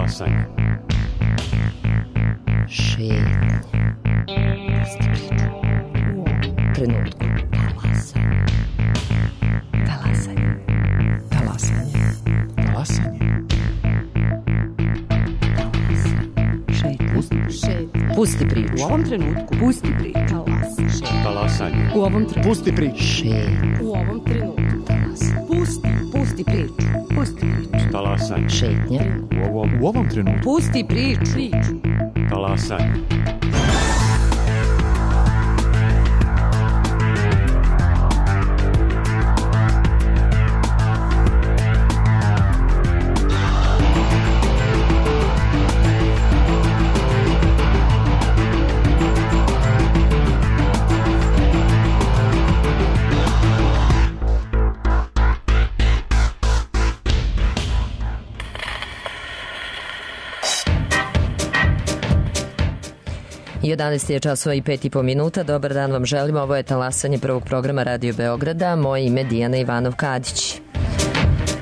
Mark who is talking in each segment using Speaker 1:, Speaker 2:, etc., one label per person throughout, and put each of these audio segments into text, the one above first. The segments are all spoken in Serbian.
Speaker 1: Talasanje.
Speaker 2: Šetnje. Trenutku. Talasanje.
Speaker 3: Talasanje. Talasanje.
Speaker 2: Pusti priču.
Speaker 3: U ovom trenutku. Pusti priču.
Speaker 1: Talasanje.
Speaker 3: U ovom trenutku. Pusti priču.
Speaker 2: Šetnje.
Speaker 3: U ovom trenutku. Pusti priču. Pusti priču.
Speaker 1: Talasanje.
Speaker 2: Šetnje.
Speaker 1: U ovom trenutku.
Speaker 3: Pusti priču.
Speaker 1: Talasanje.
Speaker 2: I 11 je časova i 5,5 minuta. Dobar dan vam želim. Ovo je talasanje prvog programa Radio Beograda. Moje ime Dijana Ivanov-Kadić.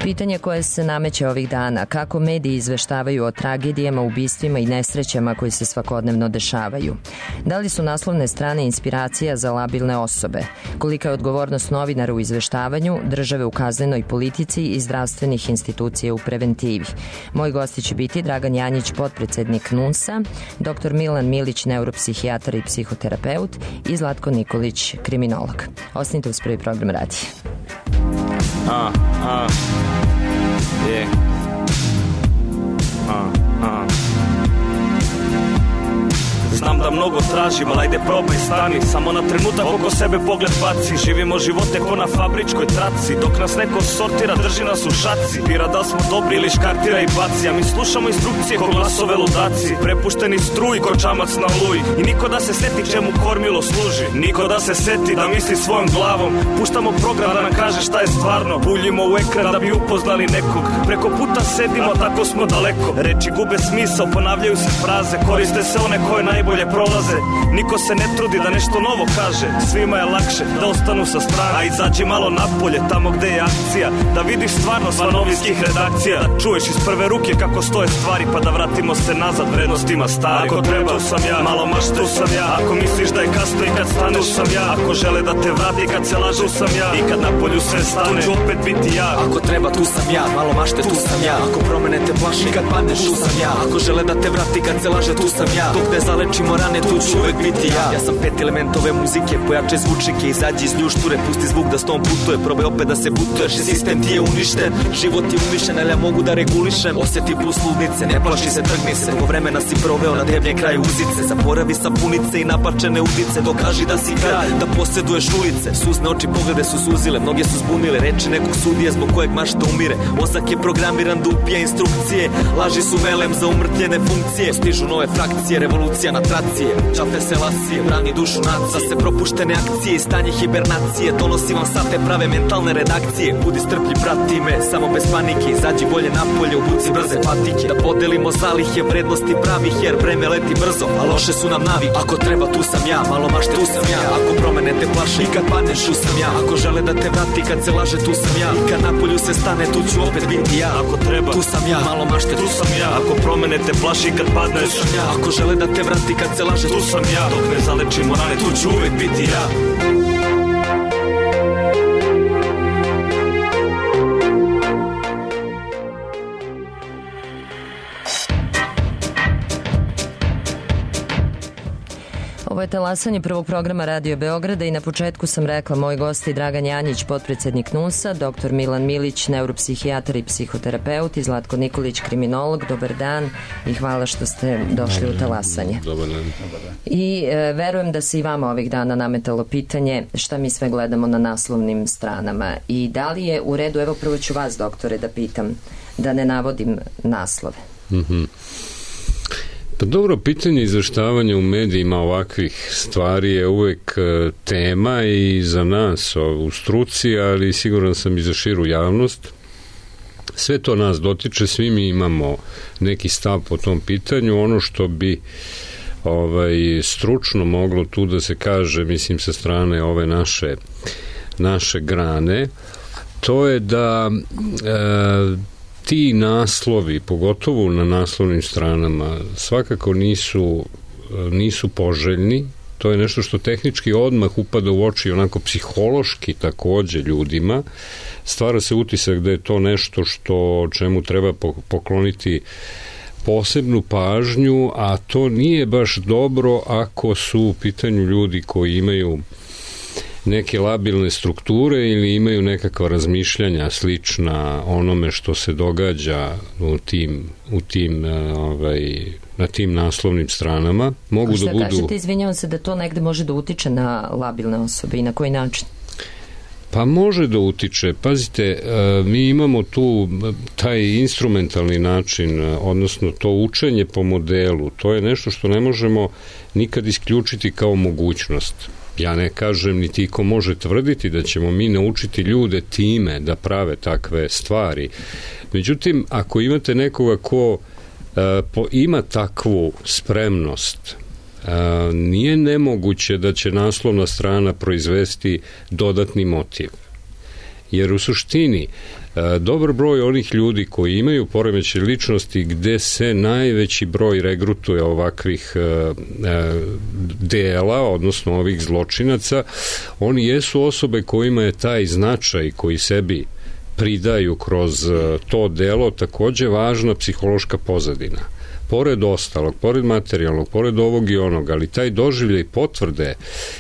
Speaker 2: Pitanje koje se nameće ovih dana: kako mediji izveštavaju o tragedijama, ubistvima i nesrećama koji se svakodnevno dešavaju? Da li su naslovne strane inspiracija za labilne osobe? Kolika je odgovornost novinara u izveštavanju, države u kaznenoj politici i zdravstvenih institucija u preventivi? Moji gosti će biti Dragan Janjić, potpredsednik NUNS-a, dr. Milan Milić, neuropsihijatar i psihoterapeut, i Zlatko Nikolić, kriminolog. Ostanite uz prvi program radija.
Speaker 4: Yeah. Znam da mnogo tražim, ali ajde probaj stani. Samo na trenutak oko sebe pogled baci. Živimo živote ko na fabričkoj traci. Dok nas neko sortira, drži nas u šaci. Bira da li smo dobri ili škartira i baci. A mi slušamo instrukcije ko glasove ludaci. Prepušteni struji ko čamac na oluji. I niko da se seti čemu kormilo služi. Niko da se seti da misli svojom glavom. Puštamo program da nam kaže šta je stvarno. Buljimo u ekran da bi upoznali nekog. Preko puta sedimo, tako smo daleko. Reči gube smisao, ponavljaju se fraze. Koriste se one koje najbolje prolaze. Niko se ne trudi da nešto novo kaže. Svima je lakše da ostanu sa strane. A izađi malo napolje, tamo gde je akcija. Da vidiš stvarno sva novinskih redakcija. Da čuješ iz prve ruke kako stoje stvari. Pa da vratimo se nazad vrednostima stari. Ako treba, tu sam ja, malo mašte, tu sam ja. Ako misliš da je kasno i kad staneš, tu sam ja. Ako žele da te vrati kad se laže, tu sam ja. I kad napolju sve stane, tu ću opet biti ja.
Speaker 5: Ako treba, tu sam ja, malo mašte, tu sam ja. Ako promene te plaši, kad padneš, tu sam ja. Ako žele da te vrati kad se laže, tu sam ja. Dok ne zalečimo rane, tu ću uvek biti ja. Ja sam 5 elementove muzike, pojače zvučnike, izađi iz ljušture, pusti zvuk da s tom putuje, probaj opet da se putuješ, sistem ti je uništen, život je umišljen, ali ja mogu da regulišem. Osjeti plus ludnice, ne plaši se, trgni se. Dugo vremena si proveo na debljem kraju uzice, zaboravi sapunice i napačene udice, dokaži da si kralj, da posjeduješ ulice. Suzne oči, poglede su suzile, mnoge su zbunile, reči nekog sudije zbog kojeg mašta umire. Mozak je programiran da upija instrukcije, laži su melem za umrtljene funkcije. Stižu nove frakcije, revolucija na tracije. Čafe se lasije, brani dušu nacije. Se propuštene akcije i stanje hibernacije. Donosi vam sate prave mentalne redakcije. Budi strplji, prati me, samo bez panike. Izađi bolje napolje, obuci brze patike. Da podelimo zalihe, vrednosti pravih, jer vreme leti brzo, a loše su nam navike. Ako treba, tu sam ja, malo mašte, tu sam ja. Ako promene te plaše i kad padneš, tu sam ja. Ako žele da te vrati kad se laže, tu sam ja. I kad napolju se stane, tu ću opet biti ja.
Speaker 4: Ako treba,
Speaker 5: tu sam ja, malo mašte,
Speaker 4: tu sam ja. Ako promene te plaše i kad padneš,
Speaker 5: tu sam ja. Ako žele da te vrati kad se laže,
Speaker 4: tu sam ja. Dok ne zalečimo rane, tu ću uvek biti ja.
Speaker 2: Ovo je talasanje prvog programa Radio Beograda i na početku sam rekla moji gosti Dragan Janjić, potpredsednik NUNS-a, dr. Milan Milić, neuropsihijatar i psihoterapeut, i Zlatko Nikolić, kriminolog. Dobar dan i hvala što ste došli u talasanje.
Speaker 1: Dobar dan.
Speaker 2: I verujem da se i vama ovih dana nametalo pitanje šta mi sve gledamo na naslovnim stranama i da li je u redu, evo prvo ću vas, doktore, da pitam, da ne navodim naslove.
Speaker 1: Pa dobro, pitanje izveštavanja u medijima ovakvih stvari je uvek tema i za nas u struci, ali siguran sam i za širu javnost. Sve to nas dotiče, svi mi imamo neki stav po tom pitanju. Ono što bi stručno moglo tu da se kaže, mislim sa strane ove naše grane, to je da ti naslovi, pogotovo na naslovnim stranama, svakako nisu poželjni. To je nešto što tehnički odmah upada u oči, onako psihološki takođe ljudima. Stvara se utisak da je to nešto čemu treba pokloniti posebnu pažnju, a to nije baš dobro ako su u pitanju ljudi koji imaju neke labilne strukture ili imaju nekakva razmišljanja slična onome što se događa na tim naslovnim stranama. Mogu da budu...
Speaker 2: kažete, izvinjavam se, da to negde može da utiče na labilne osobe i na koji način?
Speaker 1: Pa može da utiče. Pazite, mi imamo tu taj instrumentalni način, odnosno to učenje po modelu. To je nešto što ne možemo nikad isključiti kao mogućnost. Ja ne kažem, niti ko može tvrditi da ćemo mi naučiti ljude time da prave takve stvari. Međutim, ako imate nekoga ko ima takvu spremnost, nije nemoguće da će naslovna strana proizvesti dodatni motiv. Jer u suštini dobar broj onih ljudi koji imaju poremećaj ličnosti gde se najveći broj regrutuje ovakvih dela, odnosno ovih zločinaca, oni jesu osobe kojima je taj značaj koji sebi pridaju kroz to delo takođe važna psihološka pozadina. Pored ostalog, pored materijalnog, pored ovog i onog, ali taj doživljaj potvrde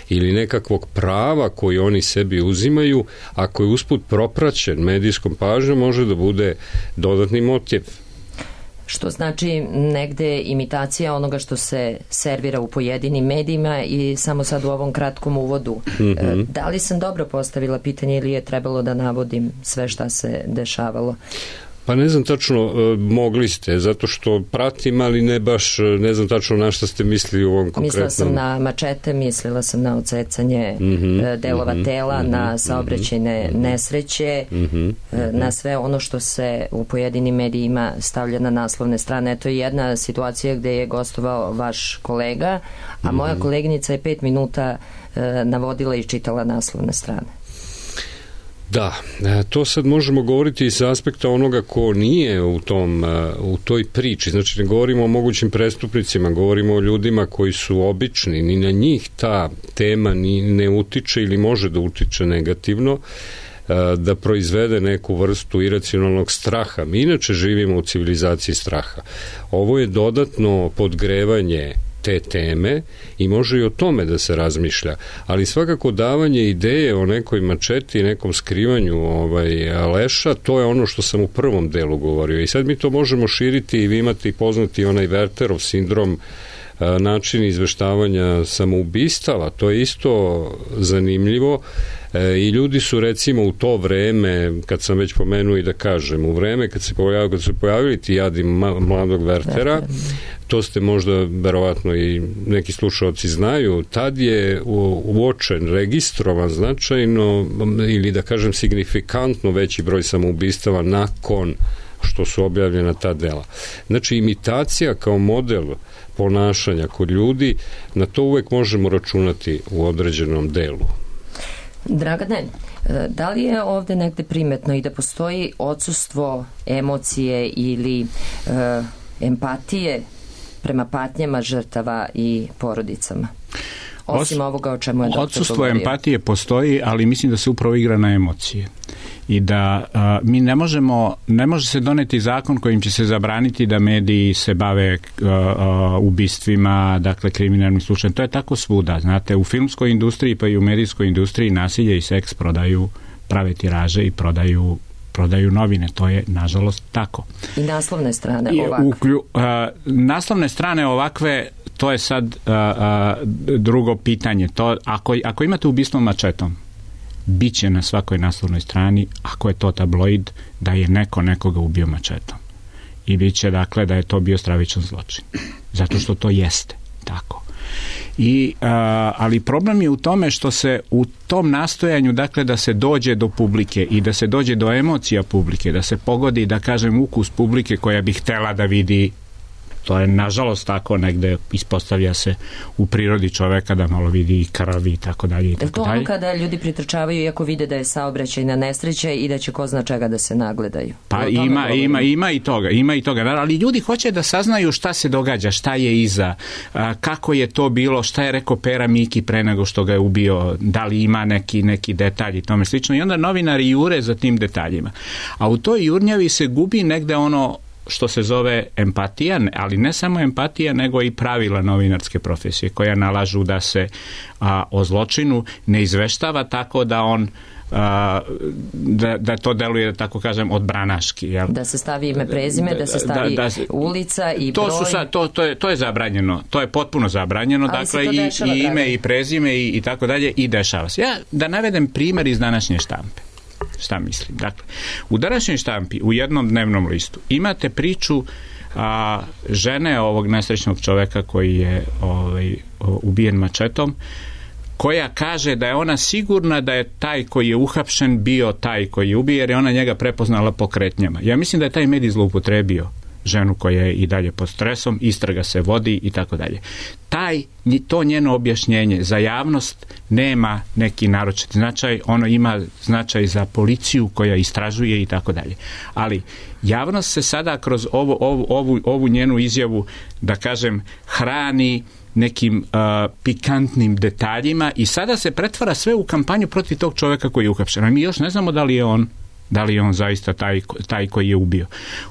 Speaker 1: ili nekakvog prava koji oni sebi uzimaju, ako je usput propraćen medijskom pažnjom, može da bude dodatni motiv.
Speaker 2: Što znači negde imitacija onoga što se servira u pojedinim medijima. I samo sad u ovom kratkom uvodu, da li sam dobro postavila pitanje ili je trebalo da navodim sve šta se dešavalo?
Speaker 1: Pa ne znam tačno, mogli ste, zato što pratim, ali ne znam tačno na šta ste mislili u ovom konkretnom.
Speaker 2: Mislila sam na mačete, mislila sam na odsecanje delova tela, na saobraćajne nesreće, na sve ono što se u pojedinim medijima stavlja na naslovne strane. To je jedna situacija gde je gostovao vaš kolega, a moja koleginica je 5 minuta navodila i čitala naslovne strane.
Speaker 1: Da, to sad možemo govoriti iz aspekta onoga ko nije u toj priči. Znači, ne govorimo o mogućim prestupnicima, govorimo o ljudima koji su obični, ni na njih ta tema ni ne utiče ili može da utiče negativno, da proizvede neku vrstu iracionalnog straha. Mi inače živimo u civilizaciji straha. Ovo je dodatno podgrevanje te teme i može i o tome da se razmišlja, ali svakako davanje ideje o nekoj mačeti i nekom skrivanju leša, to je ono što sam u prvom delu govorio i sad mi to možemo širiti i vi imate i poznati onaj Wertherov sindrom, način izveštavanja samoubistava, to je isto zanimljivo i ljudi su recimo u to vreme, kad sam već pomenuo i da kažem, u vreme kad su pojavili ti jadi mladog Werthera, to ste možda verovatno i neki slušalci znaju, tad je uočen, registrovan značajno ili da kažem signifikantno veći broj samoubistava nakon što su objavljena ta dela. Znači, imitacija kao model ponašanja kod ljudi, na to uvek možemo računati u određenom delu.
Speaker 2: Dragane, da li je ovde negde primetno i da postoji odsustvo emocije ili empatije prema patnjama žrtava i porodicama? Osim ovoga o čemu je doktor
Speaker 6: odsustvo
Speaker 2: govorio.
Speaker 6: Empatije postoji, ali mislim da se upravo igra na emocije. I da mi ne može se doneti zakon kojim će se zabraniti da mediji se bave ubistvima, dakle kriminalnim slučajem. To je tako svuda, znate, u filmskoj industriji pa i u medijskoj industriji nasilje i seks prodaju prave tiraže i prodaju novine, to je nažalost tako.
Speaker 2: I naslovne strane ovakve?
Speaker 6: Naslovne strane ovakve, to je sad drugo pitanje. To, ako imate ubistvo mačetom, bit će na svakoj naslovnoj strani, ako je to tabloid, da je neko nekoga ubio mačetom. I bit će, dakle, da je to bio stravičan zločin. Zato što to jeste tako. Ali problem je u tome što se u tom nastojanju, dakle, da se dođe do publike i da se dođe do emocija publike, da se pogodi, da kažem, ukus publike koja bi htela da vidi To je nažalost tako, negde ispostavlja se u prirodi čoveka da malo vidi i krvi i tako dalje i tako dalje.
Speaker 2: Je to kada ljudi pritrčavaju iako vide da je saobraćajna nesreća i da će ko zna čega da se nagledaju?
Speaker 6: Pa ima i toga, ali ljudi hoće da saznaju šta se događa, šta je iza, kako je to bilo, šta je rekao Pera Miki pre nego što ga je ubio, da li ima neki detalj i tome slično, i onda novinari jure za tim detaljima. A u toj jurnjavi se gubi negde ono što se zove empatija, ali ne samo empatija, nego i pravila novinarske profesije koja nalažu da se o zločinu ne izveštava tako da on da to deluje, da tako kažem, odbranaški. Jel?
Speaker 2: Da se stavi ime, prezime, da se stavi ulica i broj.
Speaker 6: To je zabranjeno, to je potpuno zabranjeno, ali dakle i ime i prezime i tako dalje, i dešava se. Ja da navedem primjer iz današnje štampe. Šta mislim? Dakle, u današnjoj štampi, u jednom dnevnom listu, imate priču žene ovog nesrećnog čoveka koji je ubijen mačetom, koja kaže da je ona sigurna da je taj koji je uhapšen bio taj koji je ubije, jer je ona njega prepoznala po kretnjama. Ja mislim da je taj medij zloupotrebio ženu koja je i dalje pod stresom, istraga se vodi i tako dalje. To njeno objašnjenje za javnost nema neki naročit značaj, ono ima značaj za policiju koja istražuje i tako dalje. Ali javnost se sada kroz ovu njenu izjavu, da kažem, hrani nekim pikantnim detaljima i sada se pretvara sve u kampanju protiv tog čovjeka koji je uhapšen. A mi još ne znamo da li je on zaista taj koji je ubio.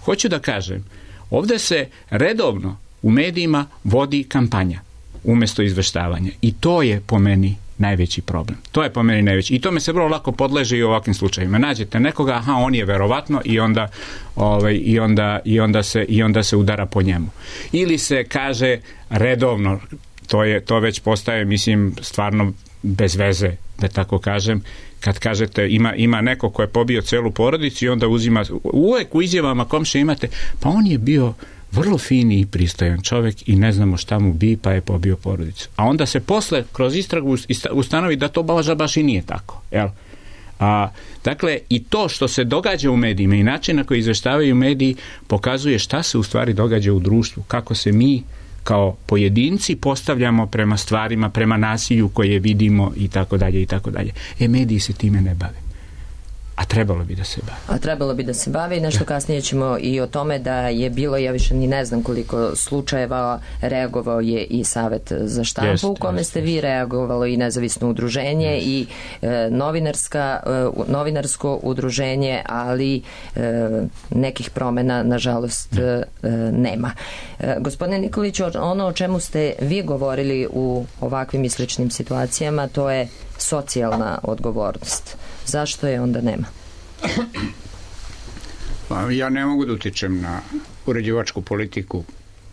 Speaker 6: Hoću da kažem, ovdje se redovno u medijima vodi kampanja umjesto izveštavanja i to je po meni najveći problem. I tome se vrlo lako podleže i u ovakvim slučajima. Nađete nekoga, on je verovatno, i onda se udara po njemu. Ili se kaže redovno, to već postaje, mislim, stvarno bez veze, da tako kažem, kad kažete ima neko ko je pobio celu porodicu i onda uzima, uvek u izjavama komšije imate, pa on je bio vrlo fini i pristojan čovjek i ne znamo šta mu bi, pa je pobio porodicu. A onda se posle kroz istragu ustanovi da to baš i nije tako. Jel? Dakle, i to što se događa u medijima i način na koji izveštavaju mediji pokazuje šta se u stvari događa u društvu, kako se mi kao pojedinci postavljamo prema stvarima, prema nasilju koje vidimo i tako dalje i tako dalje. Mediji se time ne bave. A trebalo bi da se bave. I nešto kasnije ćemo i o tome da je bilo, ja više ni ne znam koliko slučajeva, reagovao je i Savet za štampu, u kome ste vi reagovalo i nezavisno udruženje i novinarsko udruženje, ali nekih promjena nažalost nema. Gospodine Nikoliću, ono o čemu ste vi govorili u ovakvim i sličnim situacijama, to je socijalna odgovornost. Zašto je onda nema?
Speaker 7: Ja ne mogu da utičem na uređivačku politiku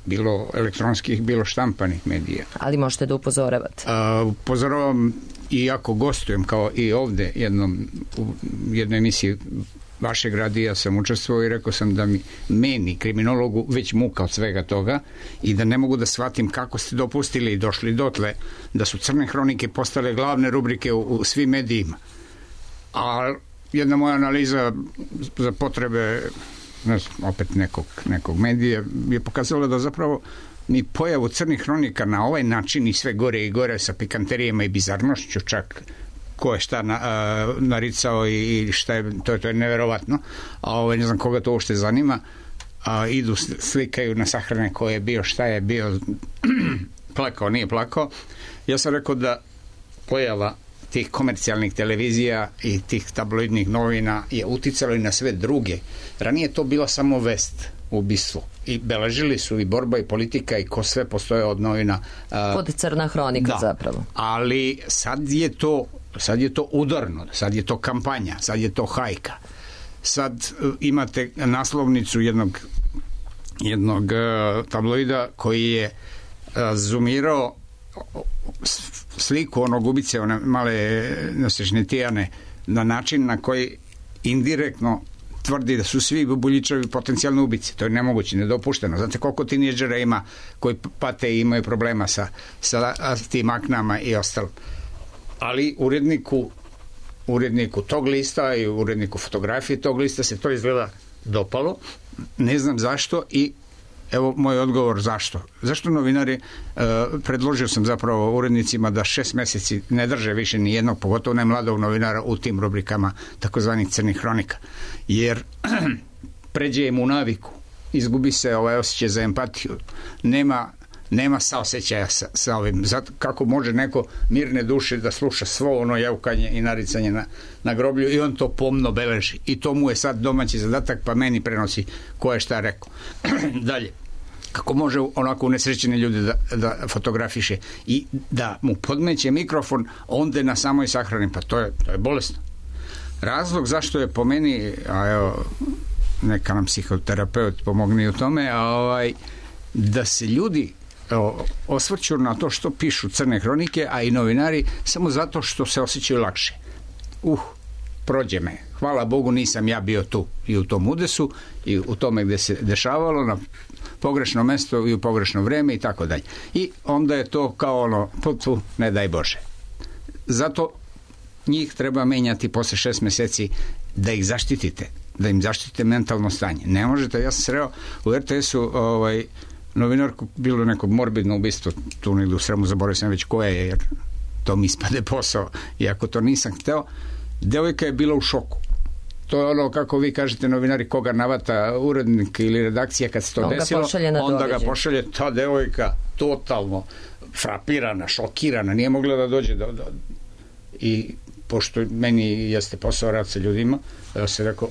Speaker 7: bilo elektronskih, bilo štampanih medija.
Speaker 2: Ali možete da upozoravate?
Speaker 7: Upozoravam i ako gostujem, kao i ovde u jednoj emisiji vašeg radija sam učestvovao i rekao sam da meni, kriminologu, već muka od svega toga i da ne mogu da shvatim kako ste dopustili i došli dotle da su crne hronike postale glavne rubrike u svim medijima. A jedna moja analiza za potrebe opet nekog medija je pokazala da zapravo ni pojavu crnih hronika na ovaj način i sve gore i gore sa pikanterijama i bizarnošću, čak ko je šta naricao i šta je, to je neverovatno, a ne znam koga to uopšte zanima, idu, slikaju na sahrane ko je bio, šta je bio, plakao, nije plakao. Ja sam rekao da pojava tih komercijalnih televizija i tih tabloidnih novina je uticalo i na sve druge. Ranije to bila samo vest, ubistvo. I beležili su i borba i politika i ko sve postoje od novina.
Speaker 2: Pod crna hronika zapravo.
Speaker 7: Ali sad je to udarno, sad je to kampanja, sad je to hajka. Sad imate naslovnicu jednog tabloida koji je zoomirao sliku onog ubice, one male nesrećne Tijane, na način na koji indirektno tvrdi da su svi Buljićevi potencijalni ubice. To je nemoguće, nedopušteno. Znate koliko tinejdžera ima koji pate i imaju problema sa tim aknama i ostalo. Ali uredniku tog lista i uredniku fotografije tog lista se to izgleda dopalo. Ne znam zašto i Evo moj odgovor zašto. Zašto novinari, predložio sam zapravo urednicima da 6 meseci ne drže više ni jednog, pogotovo ne mladog novinara u tim rubrikama takozvanih crnih hronika. Jer pređe im u naviku, izgubi se ovaj osjećaj za empatiju, nema saosećaja sa ovim. Zato kako može neko mirne duše da sluša svo ono jaukanje i naricanje na groblju i on to pomno beleži. I to mu je sad domaći zadatak, pa meni prenosi ko je šta rekao. Dalje, kako može onako unesrećeni ljudi da fotografiše i da mu podmeće mikrofon onda na samoj sahrani, pa to je bolesno. Razlog zašto je po meni, a evo, neka nam psihoterapeut pomogne u tome, da se ljudi osvrću na to što pišu crne hronike, a i novinari, samo zato što se osjećaju lakše. Prođe me. Hvala Bogu, nisam ja bio tu i u tom udesu i u tome gde se dešavalo na pogrešno mesto i u pogrešno vreme i tako dalje. I onda je to kao ono, ne daj Bože. Zato njih treba menjati posle 6 meseci da ih zaštitite, da im zaštitite mentalno stanje. Ne možete, ja sam sreo u RTS-u novinarku, bilo neko morbidno ubistvo, tu negdje u Sremu, zaboravio sam već koje je, jer to mi ispade posao, iako to nisam hteo. Devojka je bila u šoku. To je ono, kako vi kažete, novinari, koga navata urednik ili redakcija kad se to desilo, onda ga pošalje. Ta devojka totalno frapirana, šokirana, nije mogla da dođe i pošto meni jeste posao rad sa ljudima, ja sam rekao,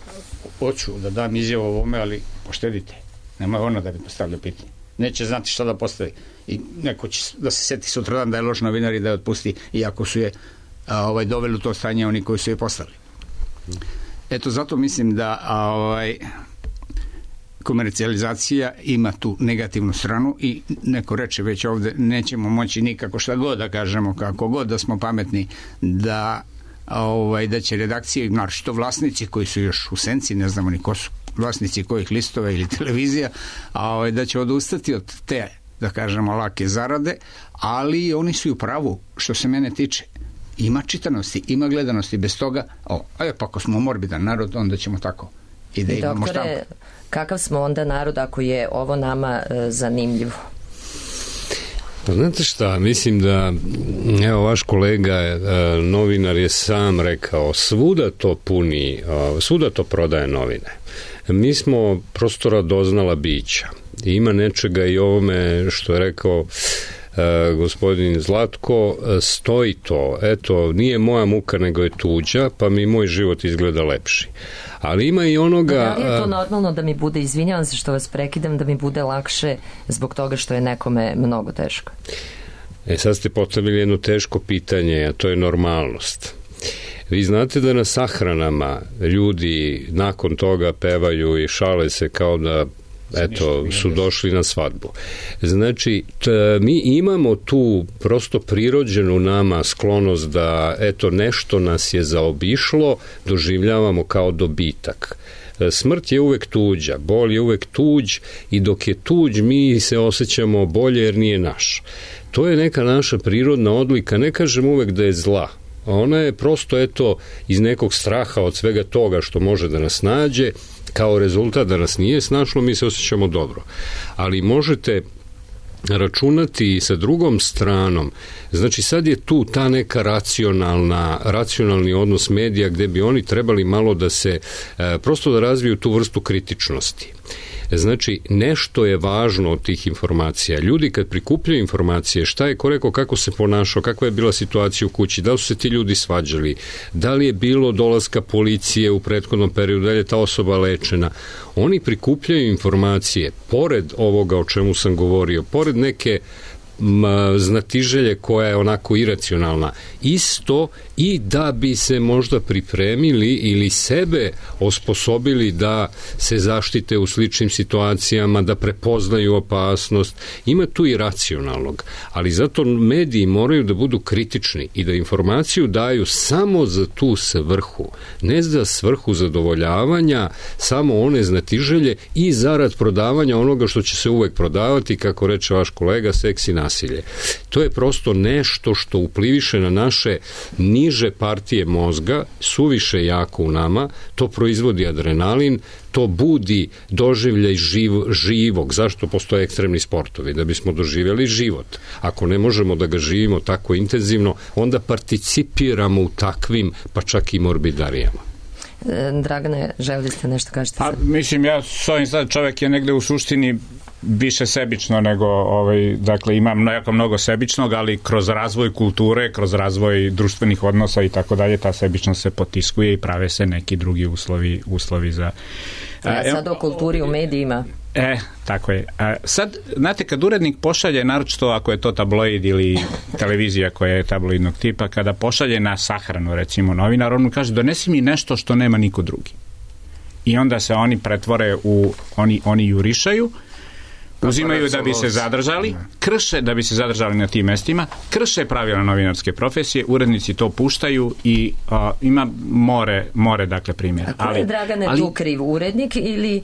Speaker 7: hoću da dam izjavu ovome, ali poštedite, nema ona da bi postavljao pitanje, neće znati šta da postavi i neko će da se seti sutradan da je loš novinar i da je otpusti, iako su je doveli u to stanje oni koji su je poslali. Eto, zato mislim da komercijalizacija ima tu negativnu stranu i neko reče već ovde, nećemo moći nikako šta god da kažemo, kako god da smo pametni, da će redakcije, naročito vlasnici koji su još u senci, ne znamo ni ko su vlasnici kojih listova ili televizija, da će odustati od te, da kažemo, lake zarade, ali oni su u pravu, što se mene tiče. Ima čitanosti, ima gledanosti, bez toga, pa ako smo morbidan narod, onda ćemo tako i da imamo štampu.
Speaker 2: Doktore, kakav smo onda narod ako je ovo nama zanimljivo?
Speaker 1: Pa znate šta, mislim da, evo, vaš kolega novinar je sam rekao, svuda to puni, svuda to prodaje novine. Mi smo prosto radoznala bića. Ima nečega i ovome što je rekao gospodin Zlatko, stoji to, eto, nije moja muka nego je tuđa, pa mi moj život izgleda lepši. Ali ima i onoga...
Speaker 2: Da li je to normalno da mi bude, izvinjavam se što vas prekidam, da mi bude lakše zbog toga što je nekome mnogo teško?
Speaker 1: Sad ste postavili jedno teško pitanje, a to je normalnost. Vi znate da na sahranama ljudi nakon toga pevaju i šale se kao da su došli na svadbu. Znači, mi imamo tu prosto prirođenu nama sklonost da, nešto nas je zaobišlo, doživljavamo kao dobitak. Smrt je uvek tuđa, bol je uvek tuđ i dok je tuđ mi se osjećamo bolje jer nije naš. To je neka naša prirodna odlika, ne kažem uvek da je zla. Ona je prosto, iz nekog straha od svega toga što može da nas nađe, kao rezultat da nas nije snašlo, mi se osjećamo dobro. Ali možete računati i sa drugom stranom. Znači, sad je tu ta neka racionalni odnos medija gde bi oni trebali malo da se, prosto da razviju tu vrstu kritičnosti. Znači, nešto je važno od tih informacija. Ljudi kad prikupljaju informacije, šta je ko rekao, kako se ponašao, kakva je bila situacija u kući, da li su se ti ljudi svađali, da li je bilo dolaska policije u prethodnom periodu, da li je ta osoba lečena. Oni prikupljaju informacije, pored ovoga o čemu sam govorio, pored neke znatiželje koja je onako iracionalna, isto i da bi se možda pripremili ili sebe osposobili da se zaštite u sličnim situacijama, da prepoznaju opasnost. Ima tu i racionalnog, ali zato mediji moraju da budu kritični i da informaciju daju samo za tu svrhu, ne za svrhu zadovoljavanja samo one znatiželje i zarad prodavanja onoga što će se uvek prodavati, kako reče vaš kolega, seks i nasilje. To je prosto nešto što upliviše na naše niže niže partije mozga suviše jako u nama, to proizvodi adrenalin, to budi doživljaj živog. Zašto postoje ekstremni sportovi? Da bismo doživjeli život. Ako ne možemo da ga živimo tako intenzivno, onda participiramo u takvim, pa čak i morbidarijama.
Speaker 2: Dragane, želili ste nešto kažete?
Speaker 6: Pa, mislim, ja s ovim sad čovjek je negde u suštini više sebično nego, dakle, imam jako mnogo sebičnog, ali kroz razvoj kulture, kroz razvoj društvenih odnosa i tako dalje, ta sebičnost se potiskuje i prave se neki drugi uslovi za...
Speaker 2: sad o kulturi u medijima.
Speaker 6: Tako je. Sad, znate, kad urednik pošalje, naročito ako je to tabloid ili televizija koja je tabloidnog tipa, kada pošalje na sahranu, recimo, novinar, on mu kaže, donesi mi nešto što nema niko drugi. I onda se oni pretvore oni jurišaju, uzimaju da bi se zadržali, krše da bi se zadržali na tim mestima, krše pravila novinarske profesije, urednici to puštaju i ima more dakle primjera.
Speaker 2: A ko je, Dragane, tu kriv? Urednik ili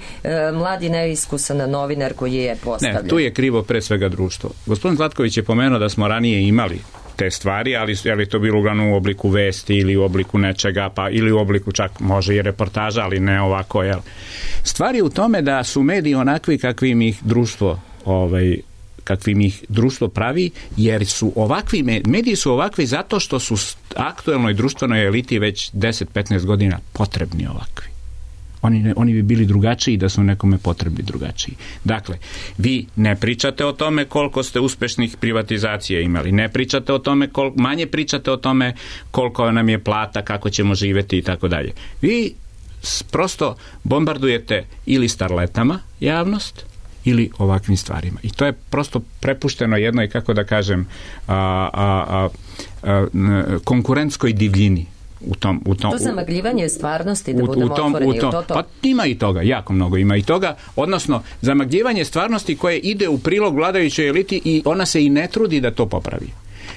Speaker 2: mladi neiskusan novinar koji je postavljen?
Speaker 6: Ne, tu je krivo pre svega društvo. Gospodin Zlatković je pomenuo da smo ranije imali te stvari, ali to bilo uglavnom u obliku vesti ili u obliku nečega, pa ili u obliku čak može i reportaža, ali ne ovako, jel? Stvar je u tome da su mediji onakvi kakvim ih društvo pravi, jer su ovakvi mediji su ovakvi zato što su aktuelnoj društvenoj eliti već 10-15 godina potrebni ovakvi. Oni bi bili drugačiji da su nekome potrebni drugačiji. Dakle, vi ne pričate o tome koliko ste uspešnih privatizacija imali, ne pričate o tome, manje pričate o tome koliko nam je plata, kako ćemo živjeti i tako dalje. Vi prosto bombardujete ili starletama javnost ili ovakvim stvarima. I to je prosto prepušteno jednoj, kako da kažem, konkurentskoj divljini.
Speaker 2: To zamagljivanje stvarnosti, da budemo otvoreni.
Speaker 6: Pa ima i toga, jako mnogo ima i toga, odnosno zamagljivanje stvarnosti koje ide u prilog vladajućoj eliti i ona se i ne trudi da to popravi.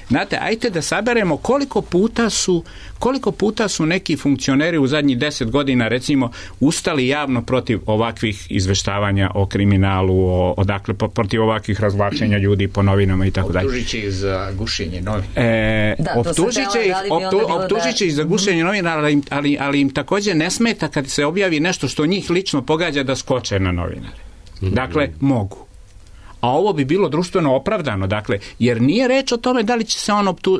Speaker 6: Znate, ajte da saberemo koliko puta su neki funkcioneri u zadnjih 10 godina, recimo, ustali javno protiv ovakvih izveštavanja o kriminalu, dakle, protiv ovakvih razvlačenja ljudi po novinama i tako dalje.
Speaker 7: Optužit će ih za gušenje novina.
Speaker 6: Optužit će ih za gušenje novina, ali im također ne smeta kad se objavi nešto što njih lično pogađa da skoče na novinare. Dakle, mogu. A ovo bi bilo društveno opravdano, dakle, jer nije reč o tome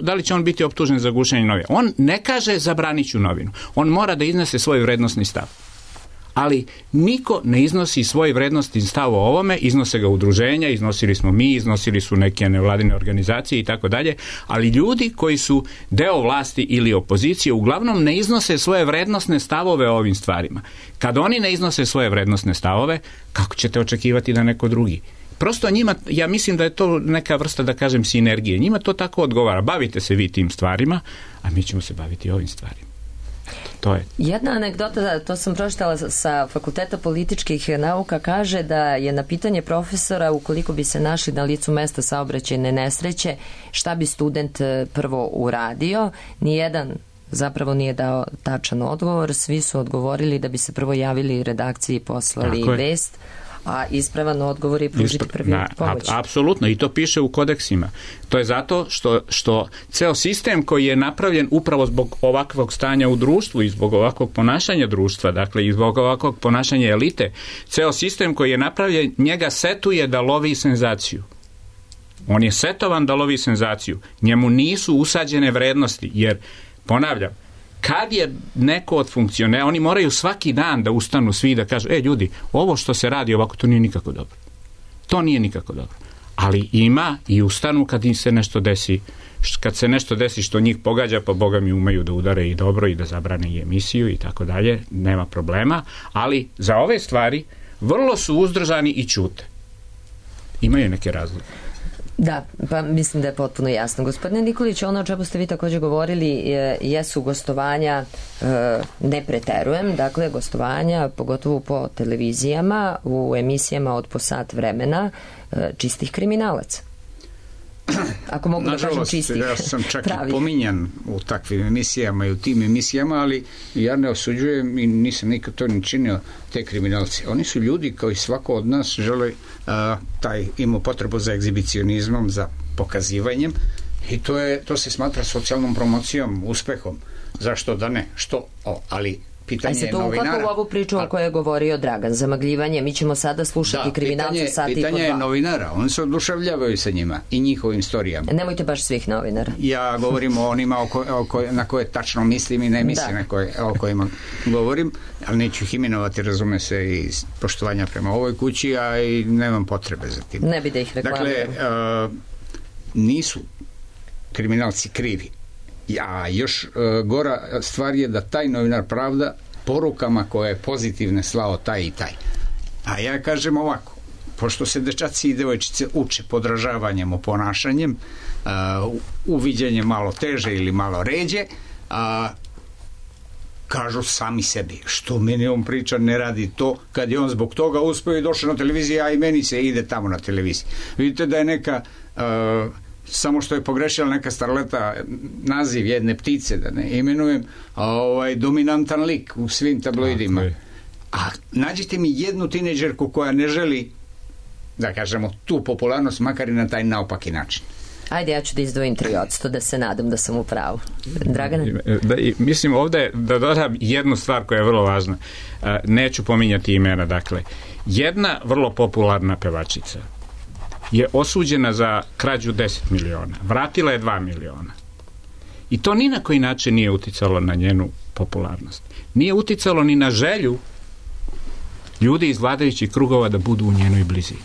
Speaker 6: da li će on biti optužen za gušenje novina. On ne kaže zabranit ću novinu. On mora da iznese svoj vrednosni stav. Ali niko ne iznosi svoj vrednosni stav o ovome, iznose ga udruženja, iznosili smo mi, iznosili su neke nevladine organizacije i tako dalje, ali ljudi koji su deo vlasti ili opozicije uglavnom ne iznose svoje vrednosne stavove o ovim stvarima. Kad oni ne iznose svoje vrednosne stavove, kako ćete očekivati da neko drugi? Prosto njima, ja mislim da je to neka vrsta, da kažem, sinergije. Njima to tako odgovara. Bavite se vi tim stvarima, a mi ćemo se baviti ovim stvarima. To je.
Speaker 2: Jedna anegdota, to sam pročitala sa Fakulteta političkih nauka, kaže da je na pitanje profesora, ukoliko bi se našli na licu mesta saobraćajne nesreće, šta bi student prvo uradio, nijedan zapravo nije dao tačan odgovor. Svi su odgovorili da bi se prvo javili redakciji i poslali vest, a ispravan odgovor je pružiti prvi pomoć.
Speaker 6: Apsolutno, i to piše u kodeksima. To je zato što ceo sistem koji je napravljen upravo zbog ovakvog stanja u društvu i zbog ovakvog ponašanja društva, dakle i zbog ovakvog ponašanja elite, ceo sistem koji je napravljen, njega setuje da lovi senzaciju. On je setovan da lovi senzaciju. Njemu nisu usađene vrednosti, jer, ponavljam, kad je neko od funkcionera, oni moraju svaki dan da ustanu svi da kažu, ljudi, ovo što se radi ovako, to nije nikako dobro. To nije nikako dobro. Ali ima i ustanu kad im se nešto desi, kad se nešto desi što njih pogađa, pa Boga mi umeju da udare i dobro i da zabrane i emisiju i tako dalje, nema problema, ali za ove stvari vrlo su uzdržani i ćute. Imaju neke razloge.
Speaker 2: Da, pa mislim da je potpuno jasno. Gospodine Nikolić, ono o čemu ste vi također govorili jesu gostovanja, ne preterujem, dakle gostovanja, pogotovo po televizijama, u emisijama od po sat vremena, čistih kriminalaca. Ako mogu da kažem čistih.
Speaker 7: Ja sam čak i pominjan u takvim emisijama i u tim emisijama, ali ja ne osuđujem i nisam nikad to ni činio te kriminalce. Oni su ljudi koji svako od nas žele ima potrebu za egzibicionizmom, za pokazivanjem I to se smatra socijalnom promocijom, uspehom. Zašto da ne? Ali pitanje je novinara.
Speaker 2: A se to uklapa u ovu priču o kojoj je govorio Dragan, zamagljivanje, mi ćemo sada slušati kriminalce sati i po dva.
Speaker 7: Pitanje je novinara, oni se oduševljavaju sa njima i njihovim istorijama.
Speaker 2: Nemojte baš svih novinara.
Speaker 7: Ja govorim o onima na koje tačno mislim i ne mislim o kojima govorim, ali neću ih imenovati, razume se, iz poštovanja prema ovoj kući, a i nemam potrebe za tim.
Speaker 2: Ne bi da ih reklamiramo.
Speaker 7: Dakle, nisu kriminalci krivi. Ja, još gora stvar je da taj novinar pravda porukama koje je pozitivne slao taj i taj. A ja kažem ovako, pošto se dečaci i devojčice uče podražavanjem, oponašanjem, uviđenjem malo teže ili malo ređe, kažu sami sebi, što meni on priča ne radi to, kad je on zbog toga uspio i došao na televiziju, a i meni se ide tamo na televiziji. Vidite da je neka samo što je pogrešila neka starleta naziv jedne ptice, da ne imenujem, dominantan lik u svim tabloidima. A nađite mi jednu tinejdžerku koja ne želi, da kažemo, tu popularnost, makar i na taj naopaki način.
Speaker 2: Ajde, ja ću da izdvojim 3%, da se nadam da sam u pravu. Dragane?
Speaker 6: Mislim ovde da dodam jednu stvar koja je vrlo važna. Neću pominjati imena, dakle. Jedna vrlo popularna pevačica je osuđena za krađu 10 miliona. Vratila je 2 miliona. I to ni na koji način nije uticalo na njenu popularnost. Nije uticalo ni na želju ljudi iz vladajućih krugova da budu u njenoj blizini.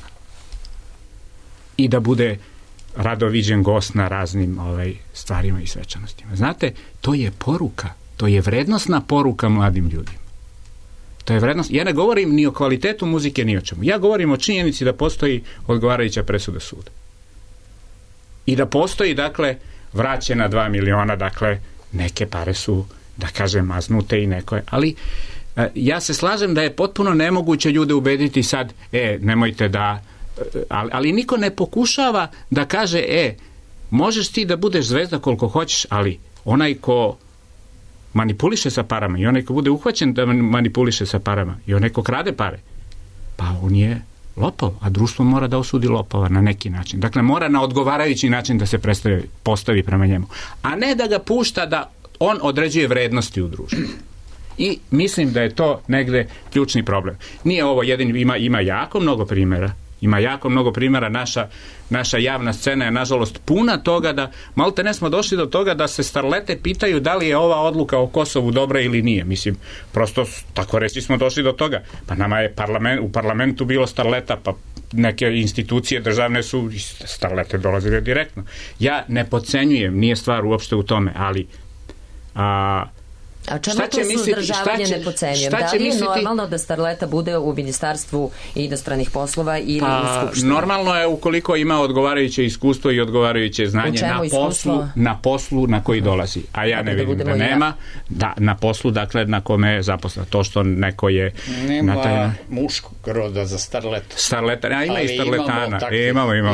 Speaker 6: I da bude rado viđen gost na raznim stvarima i svečanostima. Znate, to je poruka. To je vrednosna poruka mladim ljudima. To je vrednost. Ja ne govorim ni o kvalitetu muzike, ni o čemu. Ja govorim o činjenici da postoji odgovarajuća presuda suda. I da postoji, dakle, vraćena 2 miliona, dakle, neke pare su, da kažem, maznute i neko je. Ali ja se slažem da je potpuno nemoguće ljude ubediti sad, nemojte da, ali niko ne pokušava da kaže, možeš ti da budeš zvezda koliko hoćeš, ali onaj ko manipuliše sa parama i onaj ko bude uhvaćen da manipuliše sa parama i onaj ko krade pare, pa on je lopov, a društvo mora da osudi lopova na neki način. Dakle, mora na odgovarajući način da se postavi prema njemu. A ne da ga pušta da on određuje vrednosti u društvu. I mislim da je to negde ključni problem. Nije ovo jedin, ima jako mnogo primjera. Ima jako mnogo primjera, naša javna scena je nažalost puna toga da, malte ne smo došli do toga da se starlete pitaju da li je ova odluka o Kosovu dobra ili nije. Mislim, prosto tako reći smo došli do toga. Pa nama je u parlamentu bilo starleta, pa neke institucije državne su starlete dolazile direktno. Ja ne podcenjujem, nije stvar uopšte u tome, ali
Speaker 2: a čemu to suzdržavanje ne pocenjujem? Da li je normalno da starleta bude u Ministarstvu inostranih poslova ili u Skupštini?
Speaker 6: Normalno je ukoliko ima odgovarajuće iskustvo i odgovarajuće znanje na poslu na koji dolazi. A ja ne vidim da nema. Da, na poslu, dakle, na kome je zaposlen. To što neko je...
Speaker 7: Nema muškog roda za starleta.
Speaker 6: Starleta, ima i starletana.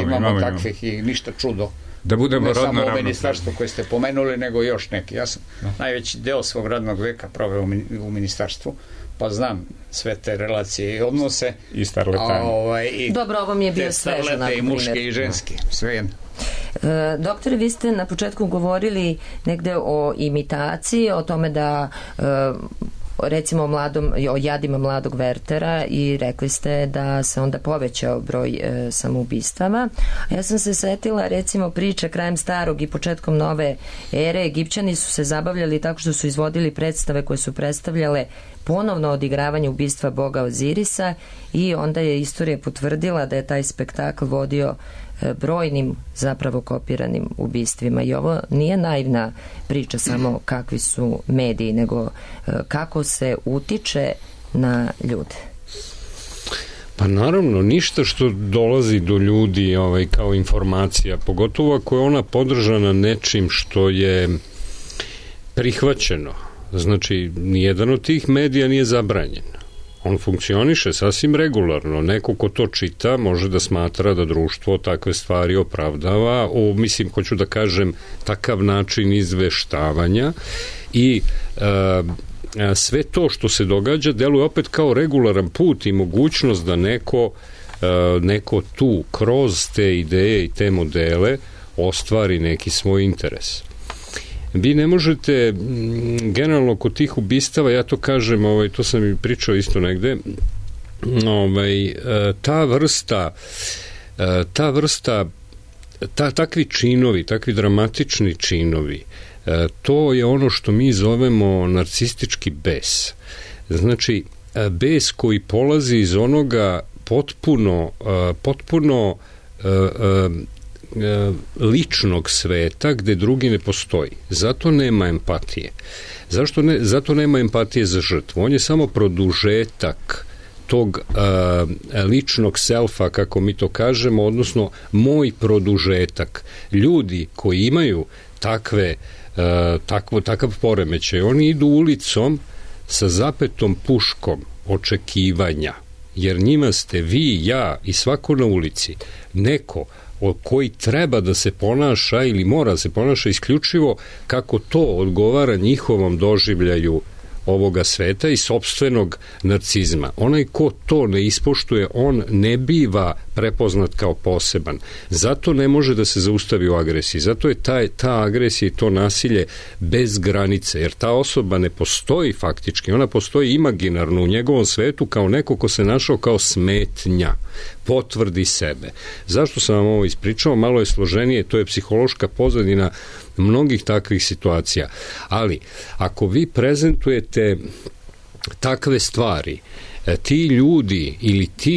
Speaker 7: Imamo takvih i ništa čudo.
Speaker 6: Da budemo rodno ravnopravni.
Speaker 7: Ne samo ovo ministarstvo koje ste pomenuli, nego još neki. Ja sam najveći deo svog radnog veka proveo u ministarstvu, pa znam sve te relacije i odnose.
Speaker 6: I starletane.
Speaker 2: Dobro, ovo mi je bio svežan. Te starlete
Speaker 7: i muške i ženske, sve jedno.
Speaker 2: Doktore, vi ste na početku govorili negde o imitaciji, o tome da recimo o jadima mladog Wertera i rekli ste da se onda povećao broj samoubistava. Ja sam se setila recimo priče krajem starog i početkom nove ere. Egipćani su se zabavljali tako što su izvodili predstave koje su predstavljale ponovno odigravanje ubistva boga Ozirisa i onda je istorija potvrdila da je taj spektakl vodio brojnim zapravo kopiranim ubistvima. I ovo nije naivna priča samo kakvi su mediji, nego kako se utiče na ljude.
Speaker 1: Pa naravno, ništa što dolazi do ljudi kao informacija, pogotovo ako je ona podržana nečim što je prihvaćeno. Znači, nijedan od tih medija nije zabranjen. On funkcioniše sasvim regularno. Neko ko to čita može da smatra da društvo takve stvari opravdava, hoću da kažem, takav način izveštavanja i sve to što se događa deluje opet kao regularan put i mogućnost da neko tu kroz te ideje i te modele ostvari neki svoj interes. Vi ne možete, generalno kod tih ubistava, ja to kažem, to sam i pričao isto negde, takvi činovi, takvi dramatični činovi, to je ono što mi zovemo narcistički bes. Znači, bes koji polazi iz onoga potpuno ličnog sveta gde drugi ne postoji. Zato nema empatije. Zato nema empatije za žrtvu. On je samo produžetak tog ličnog selfa, kako mi to kažemo, odnosno moj produžetak. Ljudi koji imaju takav poremećaj, oni idu ulicom sa zapetom puškom očekivanja, jer njima ste vi, ja i svako na ulici neko koji treba da se ponaša ili mora da se ponaša isključivo kako to odgovara njihovom doživljaju ovoga sveta i sopstvenog narcizma. Onaj ko to ne ispoštuje, on ne biva prepoznat kao poseban. Zato ne može da se zaustavi u agresiji. Zato je ta agresija i to nasilje bez granice, jer ta osoba ne postoji faktički, ona postoji imaginarno u njegovom svetu kao neko ko se našao kao smetnja, potvrdi sebe. Zašto sam vam ovo ispričao? Malo je složenije, to je psihološka pozadina mnogih takvih situacija. Ali, ako vi prezentujete takve stvari, ti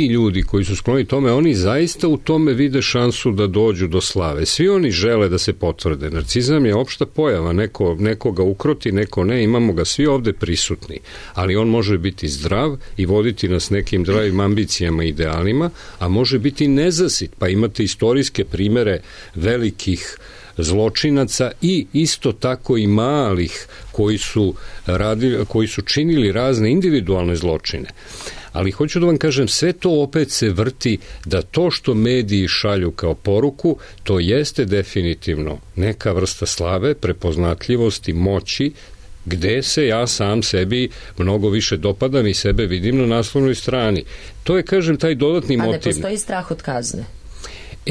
Speaker 1: ljudi koji su skloni tome, oni zaista u tome vide šansu da dođu do slave. Svi oni žele da se potvrde. Narcizam je opšta pojava. Neko ga ukroti, neko ne. Imamo ga svi ovde prisutni. Ali on može biti zdrav i voditi nas nekim zdravim ambicijama i idealima, a može biti nezasit. Pa imate istorijske primere velikih zločinaca i isto tako i malih koji su činili razne individualne zločine. Ali hoću da vam kažem, sve to opet se vrti da to što mediji šalju kao poruku, to jeste definitivno neka vrsta slave, prepoznatljivosti, moći, gde se ja sam sebi mnogo više dopadam i sebe vidim na naslovnoj strani. To je, kažem, taj dodatni motiv.
Speaker 2: A ne postoji strah od kazne?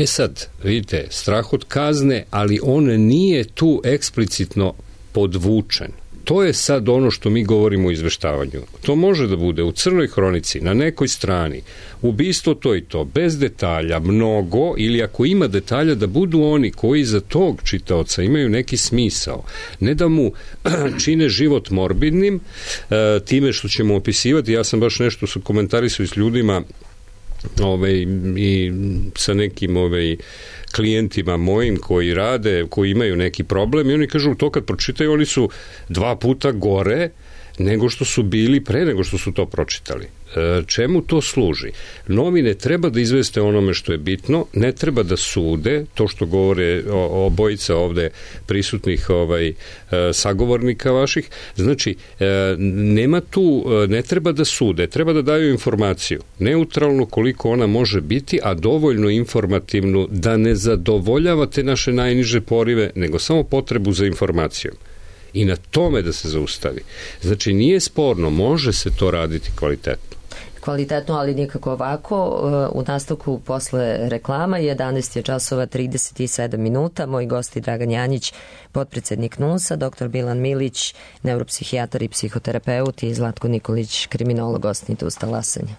Speaker 1: Sad, vidite, strah od kazne, ali on nije tu eksplicitno podvučen. To je sad ono što mi govorimo o izveštavanju. To može da bude u crnoj hronici, na nekoj strani, ubistvo to i to, bez detalja, mnogo, ili ako ima detalja, da budu oni koji za tog čitaoca imaju neki smisao. Ne da mu čine život morbidnim, time što ćemo opisivati, ja sam baš nešto komentarisao s ljudima i sa nekim klijentima mojim koji rade, koji imaju neki problem i oni kažu to kad pročitaju, oni su 2 puta gore nego što su bili pre nego što su to pročitali. Čemu to služi? Novine treba da izveste onome što je bitno, ne treba da sude, to što govore obojica ovde prisutnih sagovornika vaših, znači nema tu, ne treba da sude, treba da daju informaciju, neutralnu koliko ona može biti, a dovoljno informativnu da ne zadovoljavate naše najniže porive, nego samo potrebu za informacijom. I na tome da se zaustavi. Znači, nije sporno, može se to raditi kvalitetno.
Speaker 2: Kvalitetno, ali nikako ovako. U nastavku posle reklama 11 je časova 37 minuta. Moj gost je Dragan Janjić, potpredsednik NUNS-a, dr. Bilan Milić, neuropsihijatar i psihoterapeut i Zlatko Nikolić, kriminolog, osnite uz talasanje.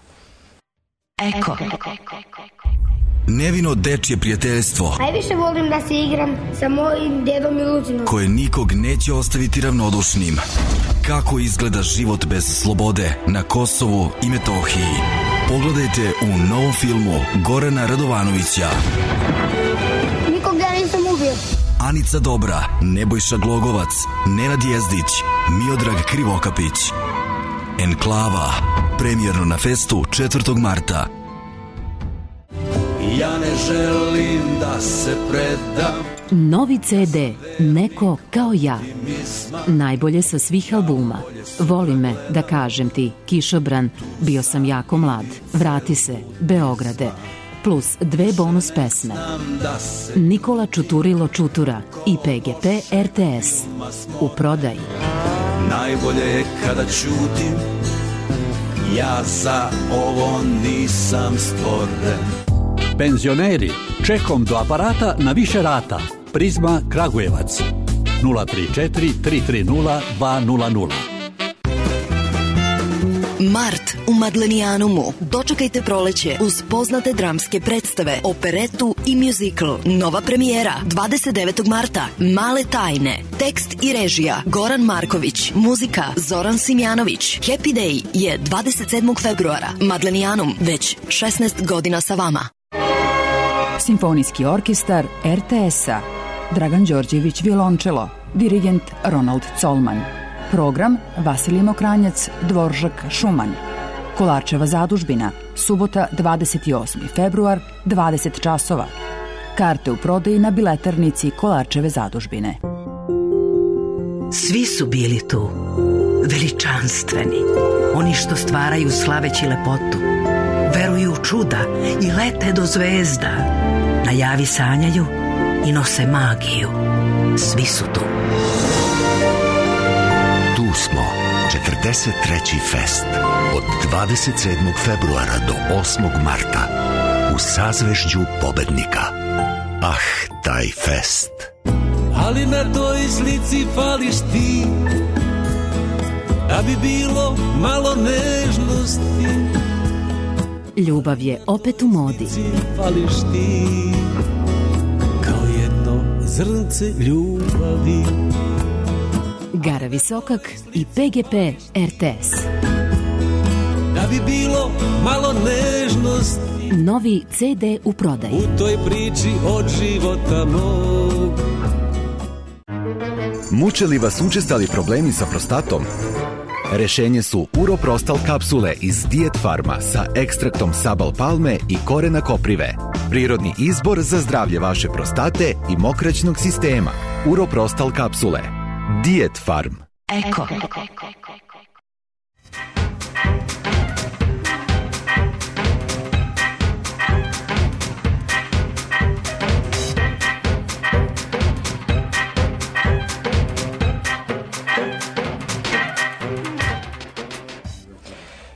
Speaker 8: Eko. Nevino dečje prijateljstvo.
Speaker 9: Najviše volim da se igram sa mojim dedom Miluzinom.
Speaker 8: Koje nikog neće ostaviti ravnodušnim. Kako izgleda život bez slobode na Kosovu i Metohiji. Pogledajte u novom filmu Gorana Radovanovića.
Speaker 9: Nikog ja nisam ubio.
Speaker 8: Anica Dobra, Nebojša Glogovac, Nenad Jezdić, Miodrag Krivokapić. Enklava. Premijerno na festu 4. marta.
Speaker 10: Ja ne želim da se predam.
Speaker 3: Novi CD, Neko kao ja. Najbolje sa svih albuma. Voli me, da kažem ti, Kišobran, Bio sam jako mlad, Vrati se, Beograde, plus 2 bonus pesme. Nikola Čuturilo Čutura i PGP RTS. U prodaji.
Speaker 10: Najbolje je kada ćutim, ja za ovo nisam stvoren.
Speaker 11: Penzioneri, čekom do aparata na više rata. Prizma Kragujevac 034 330 200.
Speaker 12: Mart u Madlenijanumu. Dočekajte proleće uz poznate dramske predstave, operetu i muzikl. Nova premijera 29. marta. Male tajne. Tekst i režija Goran Marković. Muzika Zoran Simjanović. Happy Day je 27. februara. Madlenijanum već 16 godina sa vama.
Speaker 3: Simfonijski orkestar RTS-a. Dragan Đorđević violončelo. Dirigent Ronald Colman. Program Vasilij Mokranjac, Dvoržak, Šuman. Kolarčeva zadužbina, subota 28. februar, 20 časova. Karte u prodaji na biletarnici Kolarčeve zadužbine.
Speaker 13: Svi su bili tu, veličanstveni, oni što stvaraju slaveći lepotu, veruju u čuda i lete do zvezda, na javi sanjaju i nose magiju. Svi su tu.
Speaker 14: Tu smo, 43. fest, od 27. februara do 8. marta, u sazvežđu pobednika. Ah, taj fest.
Speaker 10: Ali na toj slici fališ ti, da bi bilo malo nežnosti.
Speaker 3: Ljubav je opet u modi.
Speaker 10: Fališ ti, kao jedno zrnce ljubavi.
Speaker 3: Gara Visokak i PGP RTS.
Speaker 10: Da bi bilo malo nežnosti.
Speaker 3: Novi CD u prodaji.
Speaker 10: U toj priči od života mog.
Speaker 15: Muče li vas učestali problemi sa prostatom? Rešenje su Uroprostal kapsule iz Diet Farma sa ekstraktom sabal palme i korena koprive. Prirodni izbor za zdravlje vaše prostate i mokraćnog sistema. Uroprostal kapsule. Diet Farm.
Speaker 13: Eko.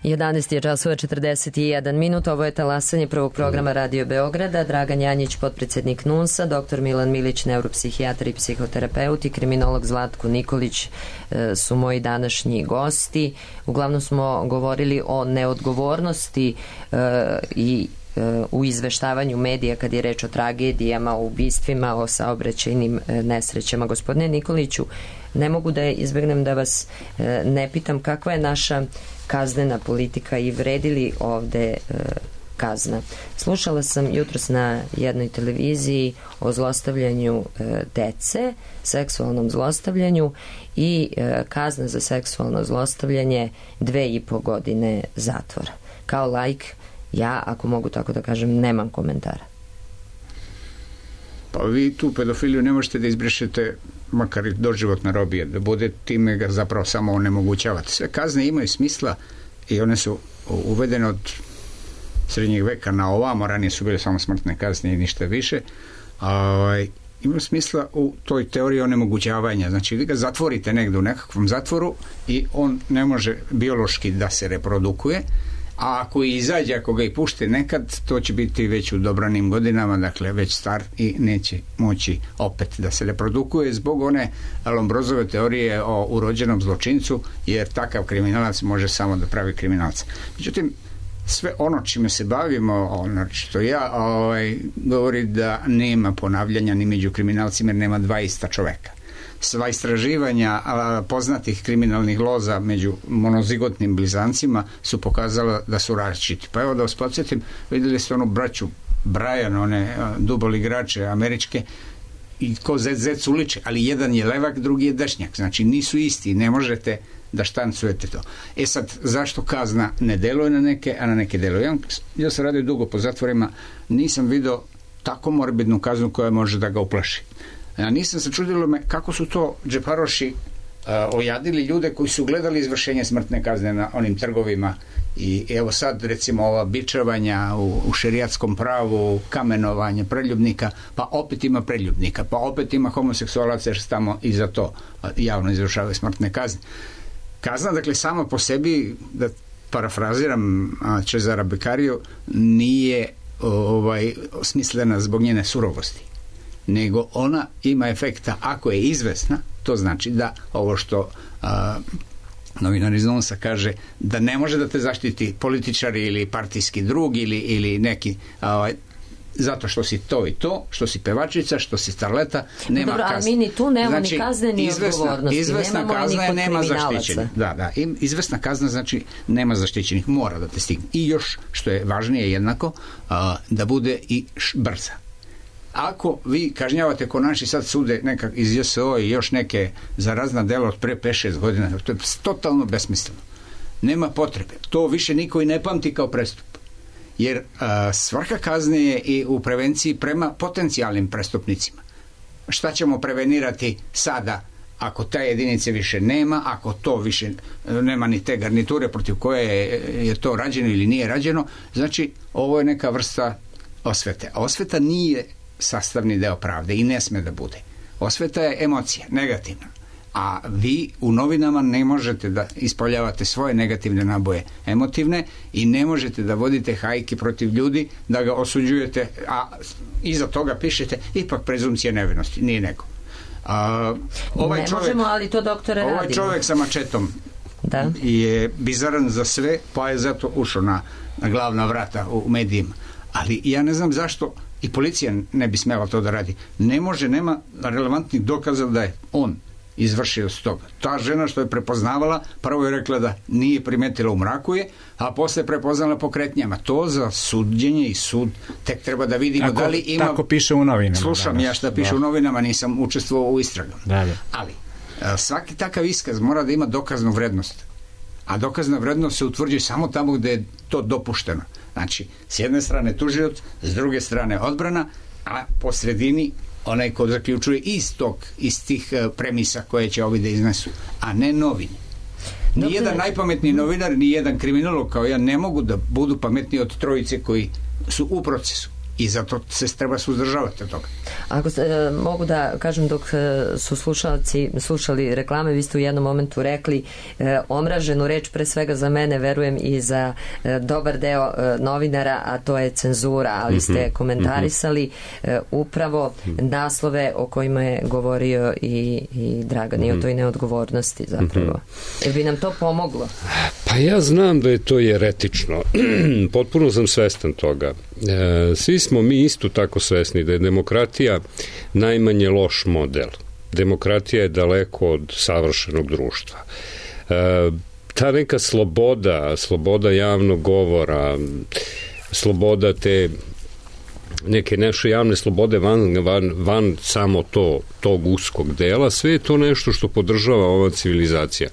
Speaker 2: 11 je časova 41 minut. Ovo je talasanje prvog programa Radio Beograda. Dragan Janjić, potpredsjednik NUNS-a, dr. Milan Milić, neuropsihijatar i psihoterapeut, i kriminolog Zlatko Nikolić su moji današnji gosti. Uglavnom smo govorili o neodgovornosti i u izveštavanju medija kad je reč o tragedijama, o ubistvima, o saobraćajnim nesrećama. Gospodine Nikoliću, ne mogu da izbegnem da vas ne pitam kakva je naša kaznena politika i vredi li ovde kazna. Slušala sam jutros na jednoj televiziji o zlostavljanju dece, seksualnom zlostavljanju, i kazna za seksualno zlostavljanje 2,5 godine zatvora. Kao laik, ja, ako mogu tako da kažem, nemam komentara.
Speaker 7: Pa vi tu pedofiliju ne možete da izbrišete, makar i doživotna robija, da bude time ga zapravo samo onemogućavate. Sve kazne imaju smisla i one su uvedene od srednjeg veka na ovamo, ranije su bile samo smrtne kazne i ništa više. Ima smisla u toj teoriji onemogućavanja. Znači, vi ga zatvorite negde u nekakvom zatvoru i on ne može biološki da se reprodukuje, a ako i izađe, ako ga i pušte nekad, to će biti već u dobranim godinama, dakle već star i neće moći opet da se reprodukuje zbog one Lombrozove teorije o urođenom zločincu, jer takav kriminalac može samo da pravi kriminalca. Međutim, sve ono čime se bavimo, što ja, govori da nema ponavljanja ni među kriminalcima, jer nema dva ista čoveka. Sva istraživanja poznatih kriminalnih loza među monozigotnim blizancima su pokazala da su različiti. Pa evo da vas podsjetim, vidjeli ste onu braću Brian, one dubol igrače američke, i ko zec uliče, ali jedan je levak, drugi je dešnjak. Znači nisu isti, ne možete da štancujete to. E sad, zašto kazna ne deluje na neke, a na neke deluje? Ja sam radio dugo po zatvorima, nisam vidio tako morbidnu kaznu koja može da ga uplaši. Ja nisam se čudilo kako su to džeparoši ojadili ljude koji su gledali izvršenje smrtne kazne na onim trgovima. I evo sad recimo ova bičevanja u šerijatskom pravu, kamenovanje preljubnika, pa opet ima preljubnika, pa opet ima homoseksualaca, jer se tamo i za to javno izvršavaju smrtne kazne. Kazna, dakle, sama po sebi, da parafraziram Cezara Beccariju, nije smislena zbog njene surovosti, nego ona ima efekta ako je izvesna, to znači da ovo što novinar iz Nonsa kaže da ne može da te zaštiti političar ili partijski drug ili neki zato što si to i to, što si pevačica, što si starleta, nema kazne.
Speaker 2: Ali mi ni tu nema ni kazne ni odgovornosti.
Speaker 7: Izvesna kazna je nema zaštićenih. Da, izvesna kazna znači nema zaštićenih, mora da te stigne. I još, što je važnije jednako, da bude i brza. Ako vi kažnjavate ko naši sad sude nekak iz JSO i još neke za razna dela od pre 5-6 godina, to je totalno besmisleno. Nema potrebe. To više niko i ne pamti kao prestup. Jer svrha kazne je i u prevenciji prema potencijalnim prestupnicima. Šta ćemo prevenirati sada ako te jedinice više nema, ako to više nema ni te garniture protiv koje je to rađeno ili nije rađeno, znači ovo je neka vrsta osvete. A osveta nije sastavni deo pravde i ne sme da bude. Osveta je emocija, negativna. A vi u novinama ne možete da ispoljavate svoje negativne naboje emotivne i ne možete da vodite hajke protiv ljudi, da ga osuđujete, a iza toga pišete ipak prezumcija nevinosti, nije neko.
Speaker 2: Ne možemo, ali to doktore radimo.
Speaker 7: Ovaj čovjek sa mačetom je bizaran za sve, pa je zato ušao na glavna vrata u medijima. Ali ja ne znam zašto i policija ne bi smela to da radi. Ne može, nema relevantnih dokaza da je on izvršio s toga. Ta žena što je prepoznavala, prvo je rekla da nije primetila u mraku je, a posle prepoznala po kretnjama. To za suđenje i sud tek treba da vidimo da li ima...
Speaker 6: Tako piše u novinama.
Speaker 7: Slušam danas. Ja šta piše u novinama, nisam učestvovao u istragama.
Speaker 6: Da.
Speaker 7: Ali svaki takav iskaz mora da ima dokaznu vrednost. A dokazna vrednost se utvrđuje samo tamo gde je to dopušteno. Znači, s jedne strane tužilac, s druge strane odbrana, a po sredini onaj ko zaključuje iz tih premisa koje će ovi da iznesu, a ne novine. Nijedan najpametniji novinar, nijedan kriminolog kao ja ne mogu da budu pametniji od trojice koji su u procesu. I zato se treba suzdržavati od toga.
Speaker 2: Ako mogu da kažem, dok su slušalci slušali reklame, vi ste u jednom momentu rekli omraženu reč, pre svega za mene, verujem i za dobar deo novinara, a to je cenzura, ali ste komentarisali upravo naslove o kojima je govorio i Dragan i o toj neodgovornosti zapravo. Bi nam to pomoglo?
Speaker 1: Pa ja znam da je to jeretično. Potpuno sam svestan toga. Svi smo mi isto tako svesni da je demokratija najmanje loš model. Demokratija je daleko od savršenog društva. Ta neka sloboda javnog govora, sloboda te neke naše javne slobode van samo tog uskog dela, sve je to nešto što podržava ova civilizacija.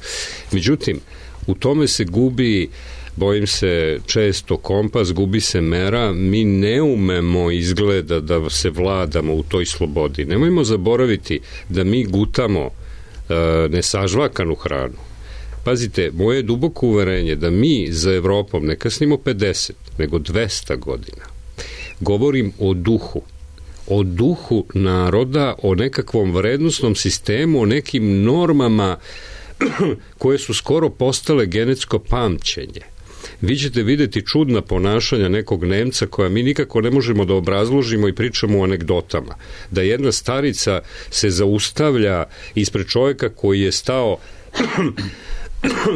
Speaker 1: Međutim, u tome se gubi, bojim se, često kompas, gubi se mera, mi ne umemo izgleda da se vladamo u toj slobodi. Nemojmo zaboraviti da mi gutamo nesažvakanu hranu. Pazite, moje duboko uverenje da mi za Evropom ne kasnimo 50, nego 200 godina. Govorim o duhu naroda, o nekakvom vrednostnom sistemu, o nekim normama koje su skoro postale genetsko pamćenje. Vi ćete videti čudna ponašanja nekog Nemca koja mi nikako ne možemo da obrazložimo i pričamo o anegdotama. Da jedna starica se zaustavlja ispred čovjeka koji je stao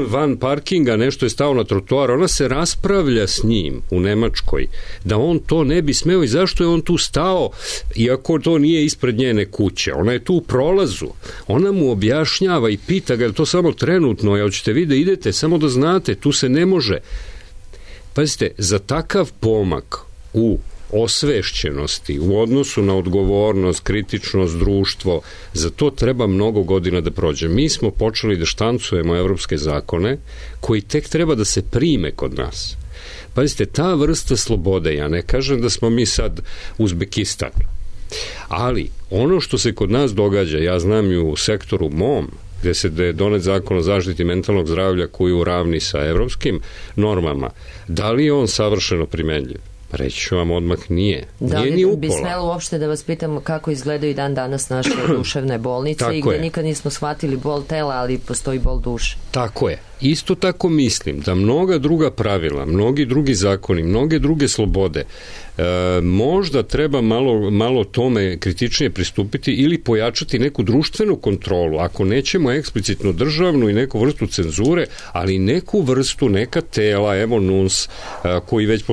Speaker 1: van parkinga, nešto je stao na trotoar, ona se raspravlja s njim u Nemačkoj, da on to ne bi smeo i zašto je on tu stao, iako to nije ispred njene kuće. Ona je tu u prolazu. Ona mu objašnjava i pita ga, je to samo trenutno, ja hoćete vi da idete, samo da znate, tu se ne može. Pazite, za takav pomak u osvešćenosti, u odnosu na odgovornost, kritičnost, društvo, za to treba mnogo godina da prođe. Mi smo počeli da štancujemo evropske zakone koji tek treba da se prime kod nas. Pazite, ta vrsta slobode, ja ne kažem da smo mi sad Uzbekistan, ali ono što se kod nas događa, ja znam i u sektoru mom, gde je donet zakon o zaštiti mentalnog zdravlja koji uravni sa evropskim normama, da li je on savršeno primenljiv? Reći ću vam odmah nije.
Speaker 2: Da
Speaker 1: li
Speaker 2: bi smelo uopšte da vas pitam kako izgledaju dan danas naše duševne bolnice i gde nikad nismo shvatili bol tela, ali postoji bol duše?
Speaker 1: Tako je. Isto tako mislim da mnoga druga pravila, mnogi drugi zakoni, mnoge druge slobode, možda treba malo tome kritičnije pristupiti ili pojačati neku društvenu kontrolu, ako nećemo eksplicitno državnu i neku vrstu cenzure, ali neku vrstu, neka tela, evo NUNS koji već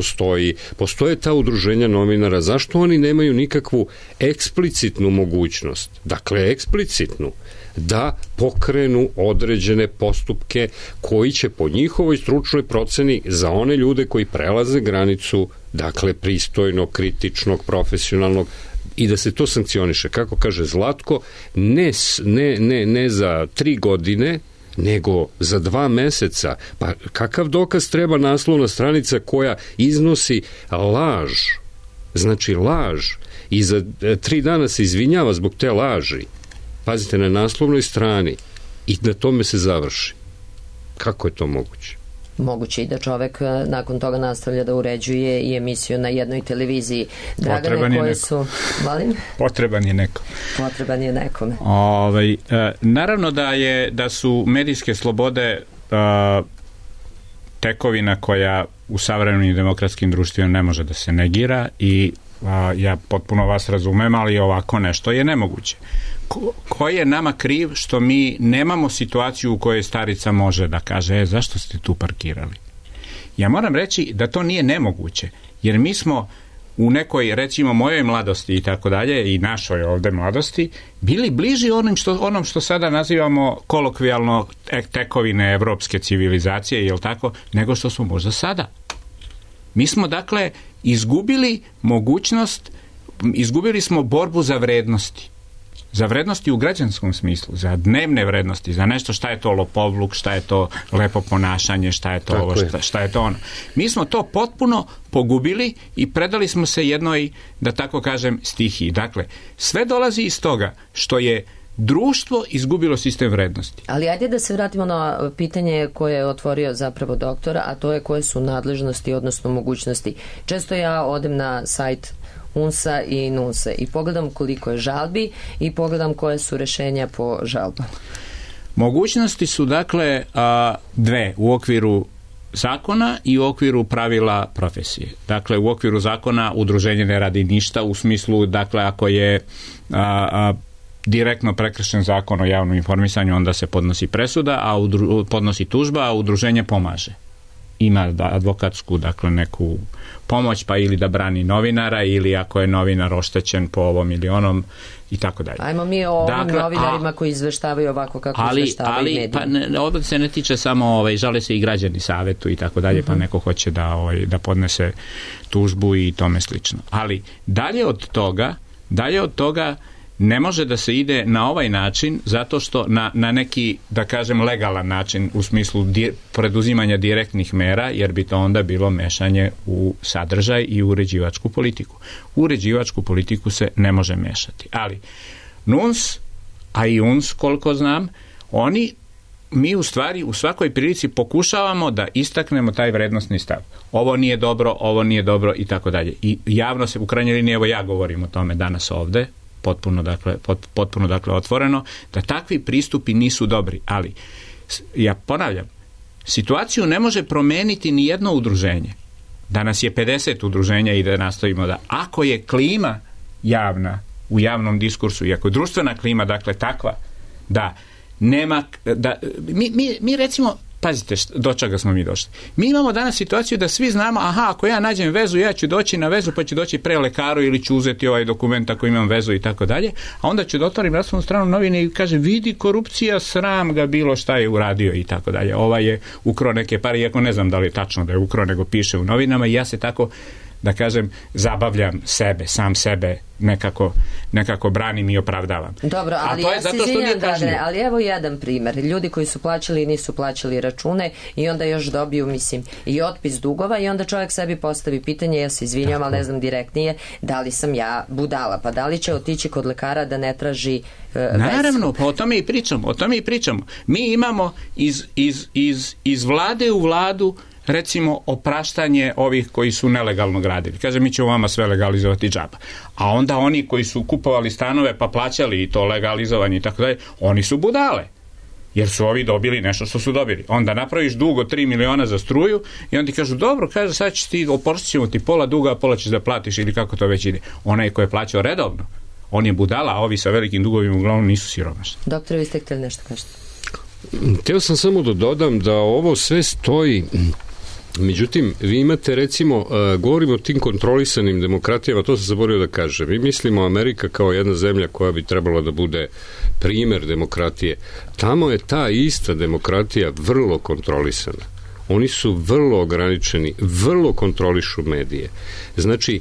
Speaker 1: postoje ta udruženja novinara, zašto oni nemaju nikakvu eksplicitnu mogućnost, dakle eksplicitnu, da pokrenu određene postupke koji će po njihovoj stručnoj proceni za one ljude koji prelaze granicu, dakle pristojnog, kritičnog, profesionalnog, i da se to sankcioniše. Kako kaže Zlatko, ne za 3 godine, nego za 2 meseca. Pa kakav dokaz treba naslovna stranica koja iznosi laž, znači laž, i za 3 dana se izvinjava zbog te laži, pazite, na naslovnoj strani, i na tome se završi. Kako je to moguće?
Speaker 2: Moguće i da čovek nakon toga nastavlja da uređuje i emisiju na jednoj televiziji. Dragane, koje su... Molim?
Speaker 6: Potreban je neko.
Speaker 2: Potreban je nekome.
Speaker 6: Naravno da su medijske slobode tekovina koja u savremenim demokratskim društvima ne može da se negira i ja potpuno vas razumem, ali ovako nešto je nemoguće. Ko je nama kriv što mi nemamo situaciju u kojoj starica može da kaže zašto ste tu parkirali? Ja moram reći da to nije nemoguće, jer mi smo u nekoj, recimo, mojoj mladosti i tako dalje, i našoj ovde mladosti, bili bliži onom što sada nazivamo kolokvijalno tekovine evropske civilizacije, jel tako, nego što smo možda sada. Mi smo, dakle, izgubili mogućnost, izgubili smo borbu za vrednosti. Za vrednosti u građanskom smislu, za dnevne vrednosti, za nešto šta je to lopovluk, šta je to lepo ponašanje, šta je to ovo, šta je to ono. Mi smo to potpuno pogubili i predali smo se jednoj, da tako kažem, stihiji. Dakle, sve dolazi iz toga što je društvo izgubilo sistem vrednosti.
Speaker 2: Ali ajde da se vratimo na pitanje koje je otvorio zapravo doktora, a to je koje su nadležnosti, odnosno mogućnosti. Često ja odem na sajt UNS-a i NUNS-a i pogledam koliko je žalbi i pogledam koje su rešenja po žalbama.
Speaker 6: Mogućnosti su, dakle, 2 u okviru zakona i u okviru pravila profesije. Dakle, u okviru zakona udruženje ne radi ništa u smislu, dakle, ako je direktno prekršen zakon o javnom informisanju, onda se podnosi presuda, podnosi tužba, a udruženje pomaže. Ima advokatsku, dakle, neku pomoć, pa ili da brani novinara, ili ako je novinar oštećen po ovom ili onom, i tako dalje.
Speaker 2: Ajmo mi o ovim novinarima koji izveštavaju ovako kako izveštavaju mediji.
Speaker 6: Pa ovdje se ne tiče samo, žale se i građani savetu i tako dalje, pa neko hoće da podnese tužbu i tome slično. Ali dalje od toga ne može da se ide na ovaj način, zato što na neki, da kažem, legalan način, u smislu preduzimanja direktnih mera, jer bi to onda bilo mešanje u sadržaj i u uređivačku politiku. U uređivačku politiku se ne može mešati. Ali NUNS, a i UNS, koliko znam, mi u stvari u svakoj prilici pokušavamo da istaknemo taj vrednostni stav. Ovo nije dobro i tako dalje. I javno se, u krajnjoj liniji, evo ja govorim o tome danas ovde, potpuno otvoreno, da takvi pristupi nisu dobri. Ali, ja ponavljam, situaciju ne može promeniti ni jedno udruženje. Danas je 50 udruženja i da nastavimo da, ako je klima javna u javnom diskursu i ako je društvena klima, dakle, takva da nema, mi recimo, pazite do čega smo mi došli. Mi imamo danas situaciju da svi znamo, ako ja nađem vezu, ja ću doći na vezu, pa ću doći pre lekaru ili ću uzeti ovaj dokument ako imam vezu i tako dalje, a onda ću da otvorim naslovnu stranu novine i kažem, vidi, korupcija, sram ga, bilo šta je uradio i tako dalje. Ovaj je ukrao neke pare, iako ne znam da li je tačno da je ukrao, nego piše u novinama, i ja se tako, da kažem, zabavljam sam sebe, nekako branim i opravdavam.
Speaker 2: Dobro, ali ja se izvinjam, Dragane, ali evo jedan primer. Ljudi koji su plaćali i nisu plaćali račune i onda još dobiju, mislim, i otpis dugova, i onda čovjek sebi postavi pitanje, ja se izvinjam, ali ne znam direktnije, da li sam ja budala, pa da li će otići kod lekara da ne traži
Speaker 6: Naravno, pa o tome i pričamo. Mi imamo iz vlade u vladu, recimo, opraštanje ovih koji su nelegalno gradili. Kaže, mi ćemo vama sve legalizovati džaba. A onda oni koji su kupovali stanove pa plaćali i to legalizovanje i tako dalje, oni su budale. jer su ovi dobili nešto što su dobili. Onda napraviš dug od 3 miliona za struju i onda ti kažu, dobro, kaže, sad ćeš ti, oprostit ćemo ti pola duga, a pola ćeš da platiš ili kako to već ide. Onaj ko je plaćao redovno, on je budala, a ovi sa velikim dugovima uglavnom nisu siromašni.
Speaker 2: Doktore, vi ste htjeli nešto kažete?
Speaker 1: Htio sam samo da dodam da ovo sve stoji. Međutim, vi imate, recimo, govorimo o tim kontrolisanim demokratijama, to sam zaboravio da kažem. Mi mislimo Amerika kao jedna zemlja koja bi trebala da bude primer demokratije. Tamo je ta ista demokratija vrlo kontrolisana. Oni su vrlo ograničeni, vrlo kontrolišu medije. Znači,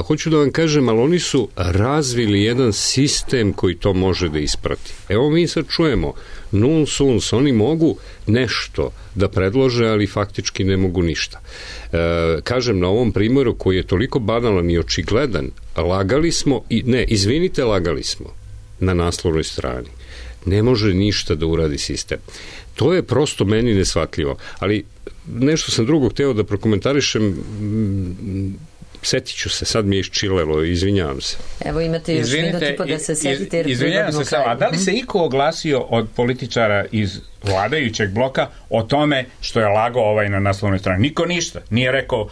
Speaker 1: hoću da vam kažem, ali oni su razvili jedan sistem koji to može da isprati. Evo mi sad čujemo, nuns uns, oni mogu nešto da predlože, ali faktički ne mogu ništa. Kažem, na ovom primjeru koji je toliko banalan i očigledan, lagali smo lagali smo na naslovnoj strani. Ne može ništa da uradi sistem. To je prosto meni neshvatljivo. Ali nešto sam drugo hteo da prokomentarišem, setit ću se, sad mi je iščilelo, izvinjavam se.
Speaker 2: Evo imate još minuti pa da se setite.
Speaker 6: Izvinjavam se samo, a da li se iko oglasio od političara iz vladajućeg bloka o tome što je lagao ovaj na naslovnoj strani? Niko ništa. Nije rekao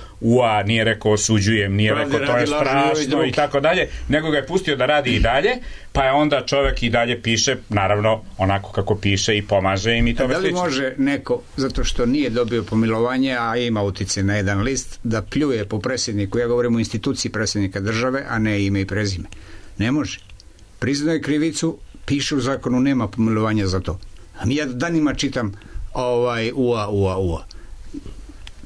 Speaker 6: nije rekao osuđujem, nije rekao to je strašno i tako dalje, nego ga je pustio da radi i dalje, pa je onda čovjek i dalje piše, naravno, onako kako piše i pomaže im i tome slično.
Speaker 7: Da li može neko, zato što nije dobio pomilovanje, a ima utjecaj na jedan list, da pljuje po predsjedniku, ja govorim o instituciji predsjednika države, a ne ime i prezime? Ne može. Priznaje krivicu, piše u zakonu, nema pomilovanja za to. A mi ja danima čitam ua.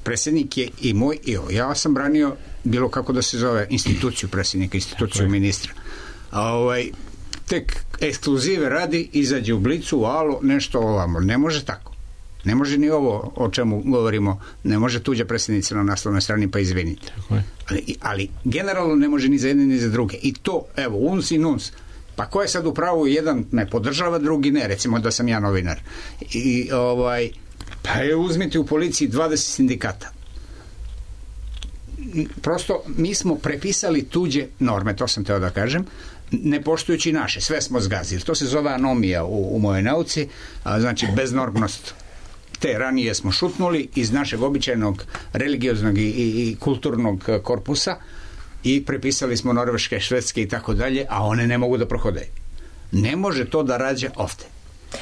Speaker 7: Predsjednik je i moj i ovo. Ja sam branio bilo kako da se zove instituciju predsjednika, instituciju ministra. Tek ekskluzive radi, izađe u Blicu, u Alo, nešto ovamo. Ne može tako. Ne može ni ovo o čemu govorimo, ne može tuđa predsjednica na naslovnoj strani, pa izvinite. Ali generalno ne može ni za jedne ni za druge. I to, evo, uns i nuns. Pa ko je sad u pravu, jedan me podržava, drugi ne, recimo da sam ja novinar. Pa uzmite u policiji 20 sindikata. Prosto mi smo prepisali tuđe norme, to sam teo da kažem, ne poštujući naše, sve smo zgazili. To se zove anomija u mojoj nauci, znači beznormnost. Te ranije smo šutnuli iz našeg običajnog religioznog i kulturnog korpusa i prepisali smo norveške, švedske i tako dalje, a one ne mogu da prohodaju. Ne može to da rađa ovde.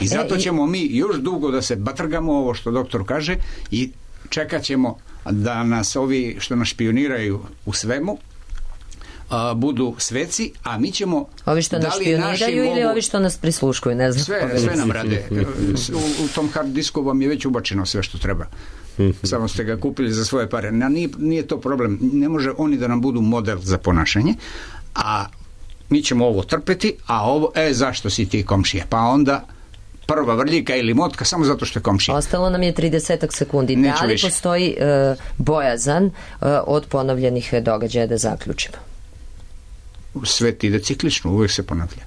Speaker 7: I zato ćemo mi još dugo da se batrgamo, ovo što doktor kaže, i čekat ćemo da nas ovi što nas špioniraju u svemu budu sveci, a mi ćemo...
Speaker 2: Ovi što nas špioniraju ili ovi što nas prisluškuju, ne znam.
Speaker 7: Sve nam rade. U tom hard disku vam je već ubačeno sve što treba. Samo ste ga kupili za svoje pare. Nije to problem. Ne može oni da nam budu model za ponašanje, a mi ćemo ovo trpeti, a ovo, zašto si ti komšija? Pa onda prva vrljika ili motka samo zato što je komšija.
Speaker 2: Ostalo nam je 30 sekundi. Da li postoji bojazan od ponovljenih događaja, da zaključimo?
Speaker 7: Svet ide ciklično, uvijek se ponavlja.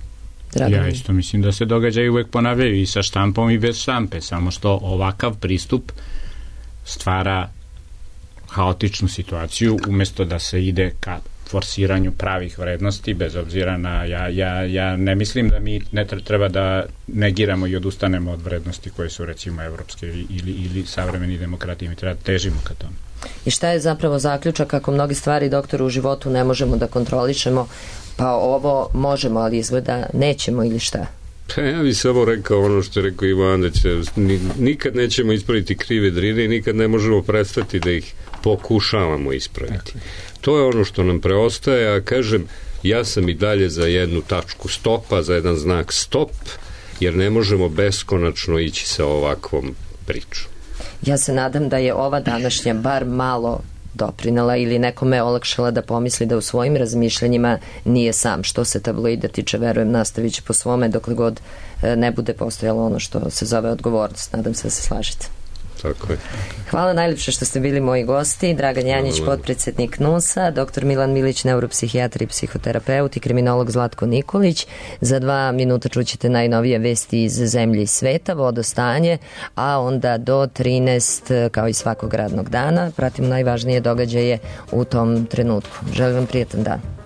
Speaker 6: Ja isto mislim da se događaju uvijek ponavljaju i sa štampom i bez štampe, samo što ovakav pristup stvara haotičnu situaciju umjesto da se ide ka forsiranju pravih vrednosti, bez obzira na ja ne mislim da mi ne treba da negiramo i odustanemo od vrednosti koje su recimo evropske ili savremeni demokratije, mi treba da težimo ka tome.
Speaker 2: I šta je zapravo zaključak ako mnogi stvari, doktore, u životu ne možemo da kontrolišemo, pa ovo možemo, ali izgleda nećemo ili šta?
Speaker 1: Pa ja bih samo rekao ono što je rekao Ivan, da nikad nećemo ispraviti krive drine i nikad ne možemo prestati da ih pokušavamo ispraviti. To je ono što nam preostaje, a kažem, ja sam i dalje za jednu tačku stopa, za jedan znak stop, jer ne možemo beskonačno ići sa ovakvom pričom.
Speaker 2: Ja se nadam da je ova današnja bar malo doprinela ili nekome olakšala da pomisli da u svojim razmišljanjima nije sam. Što se tabloida tiče, verujem, nastavit će po svome dokle god ne bude postojalo ono što se zove odgovornost. Nadam se da se slažete.
Speaker 1: Tako je.
Speaker 2: Hvala najljepše što ste bili moji gosti. Dragan Janjić, potpredsjednik NUNS-a, dr. Milan Milić, neuropsihijatar i psihoterapeut, i kriminolog Zlatko Nikolić. Za 2 minuta čućete najnovije vesti iz zemlje i sveta, vodostanje, a onda do 13, kao i svakog radnog dana, pratimo najvažnije događaje u tom trenutku. Želim vam prijetan dan.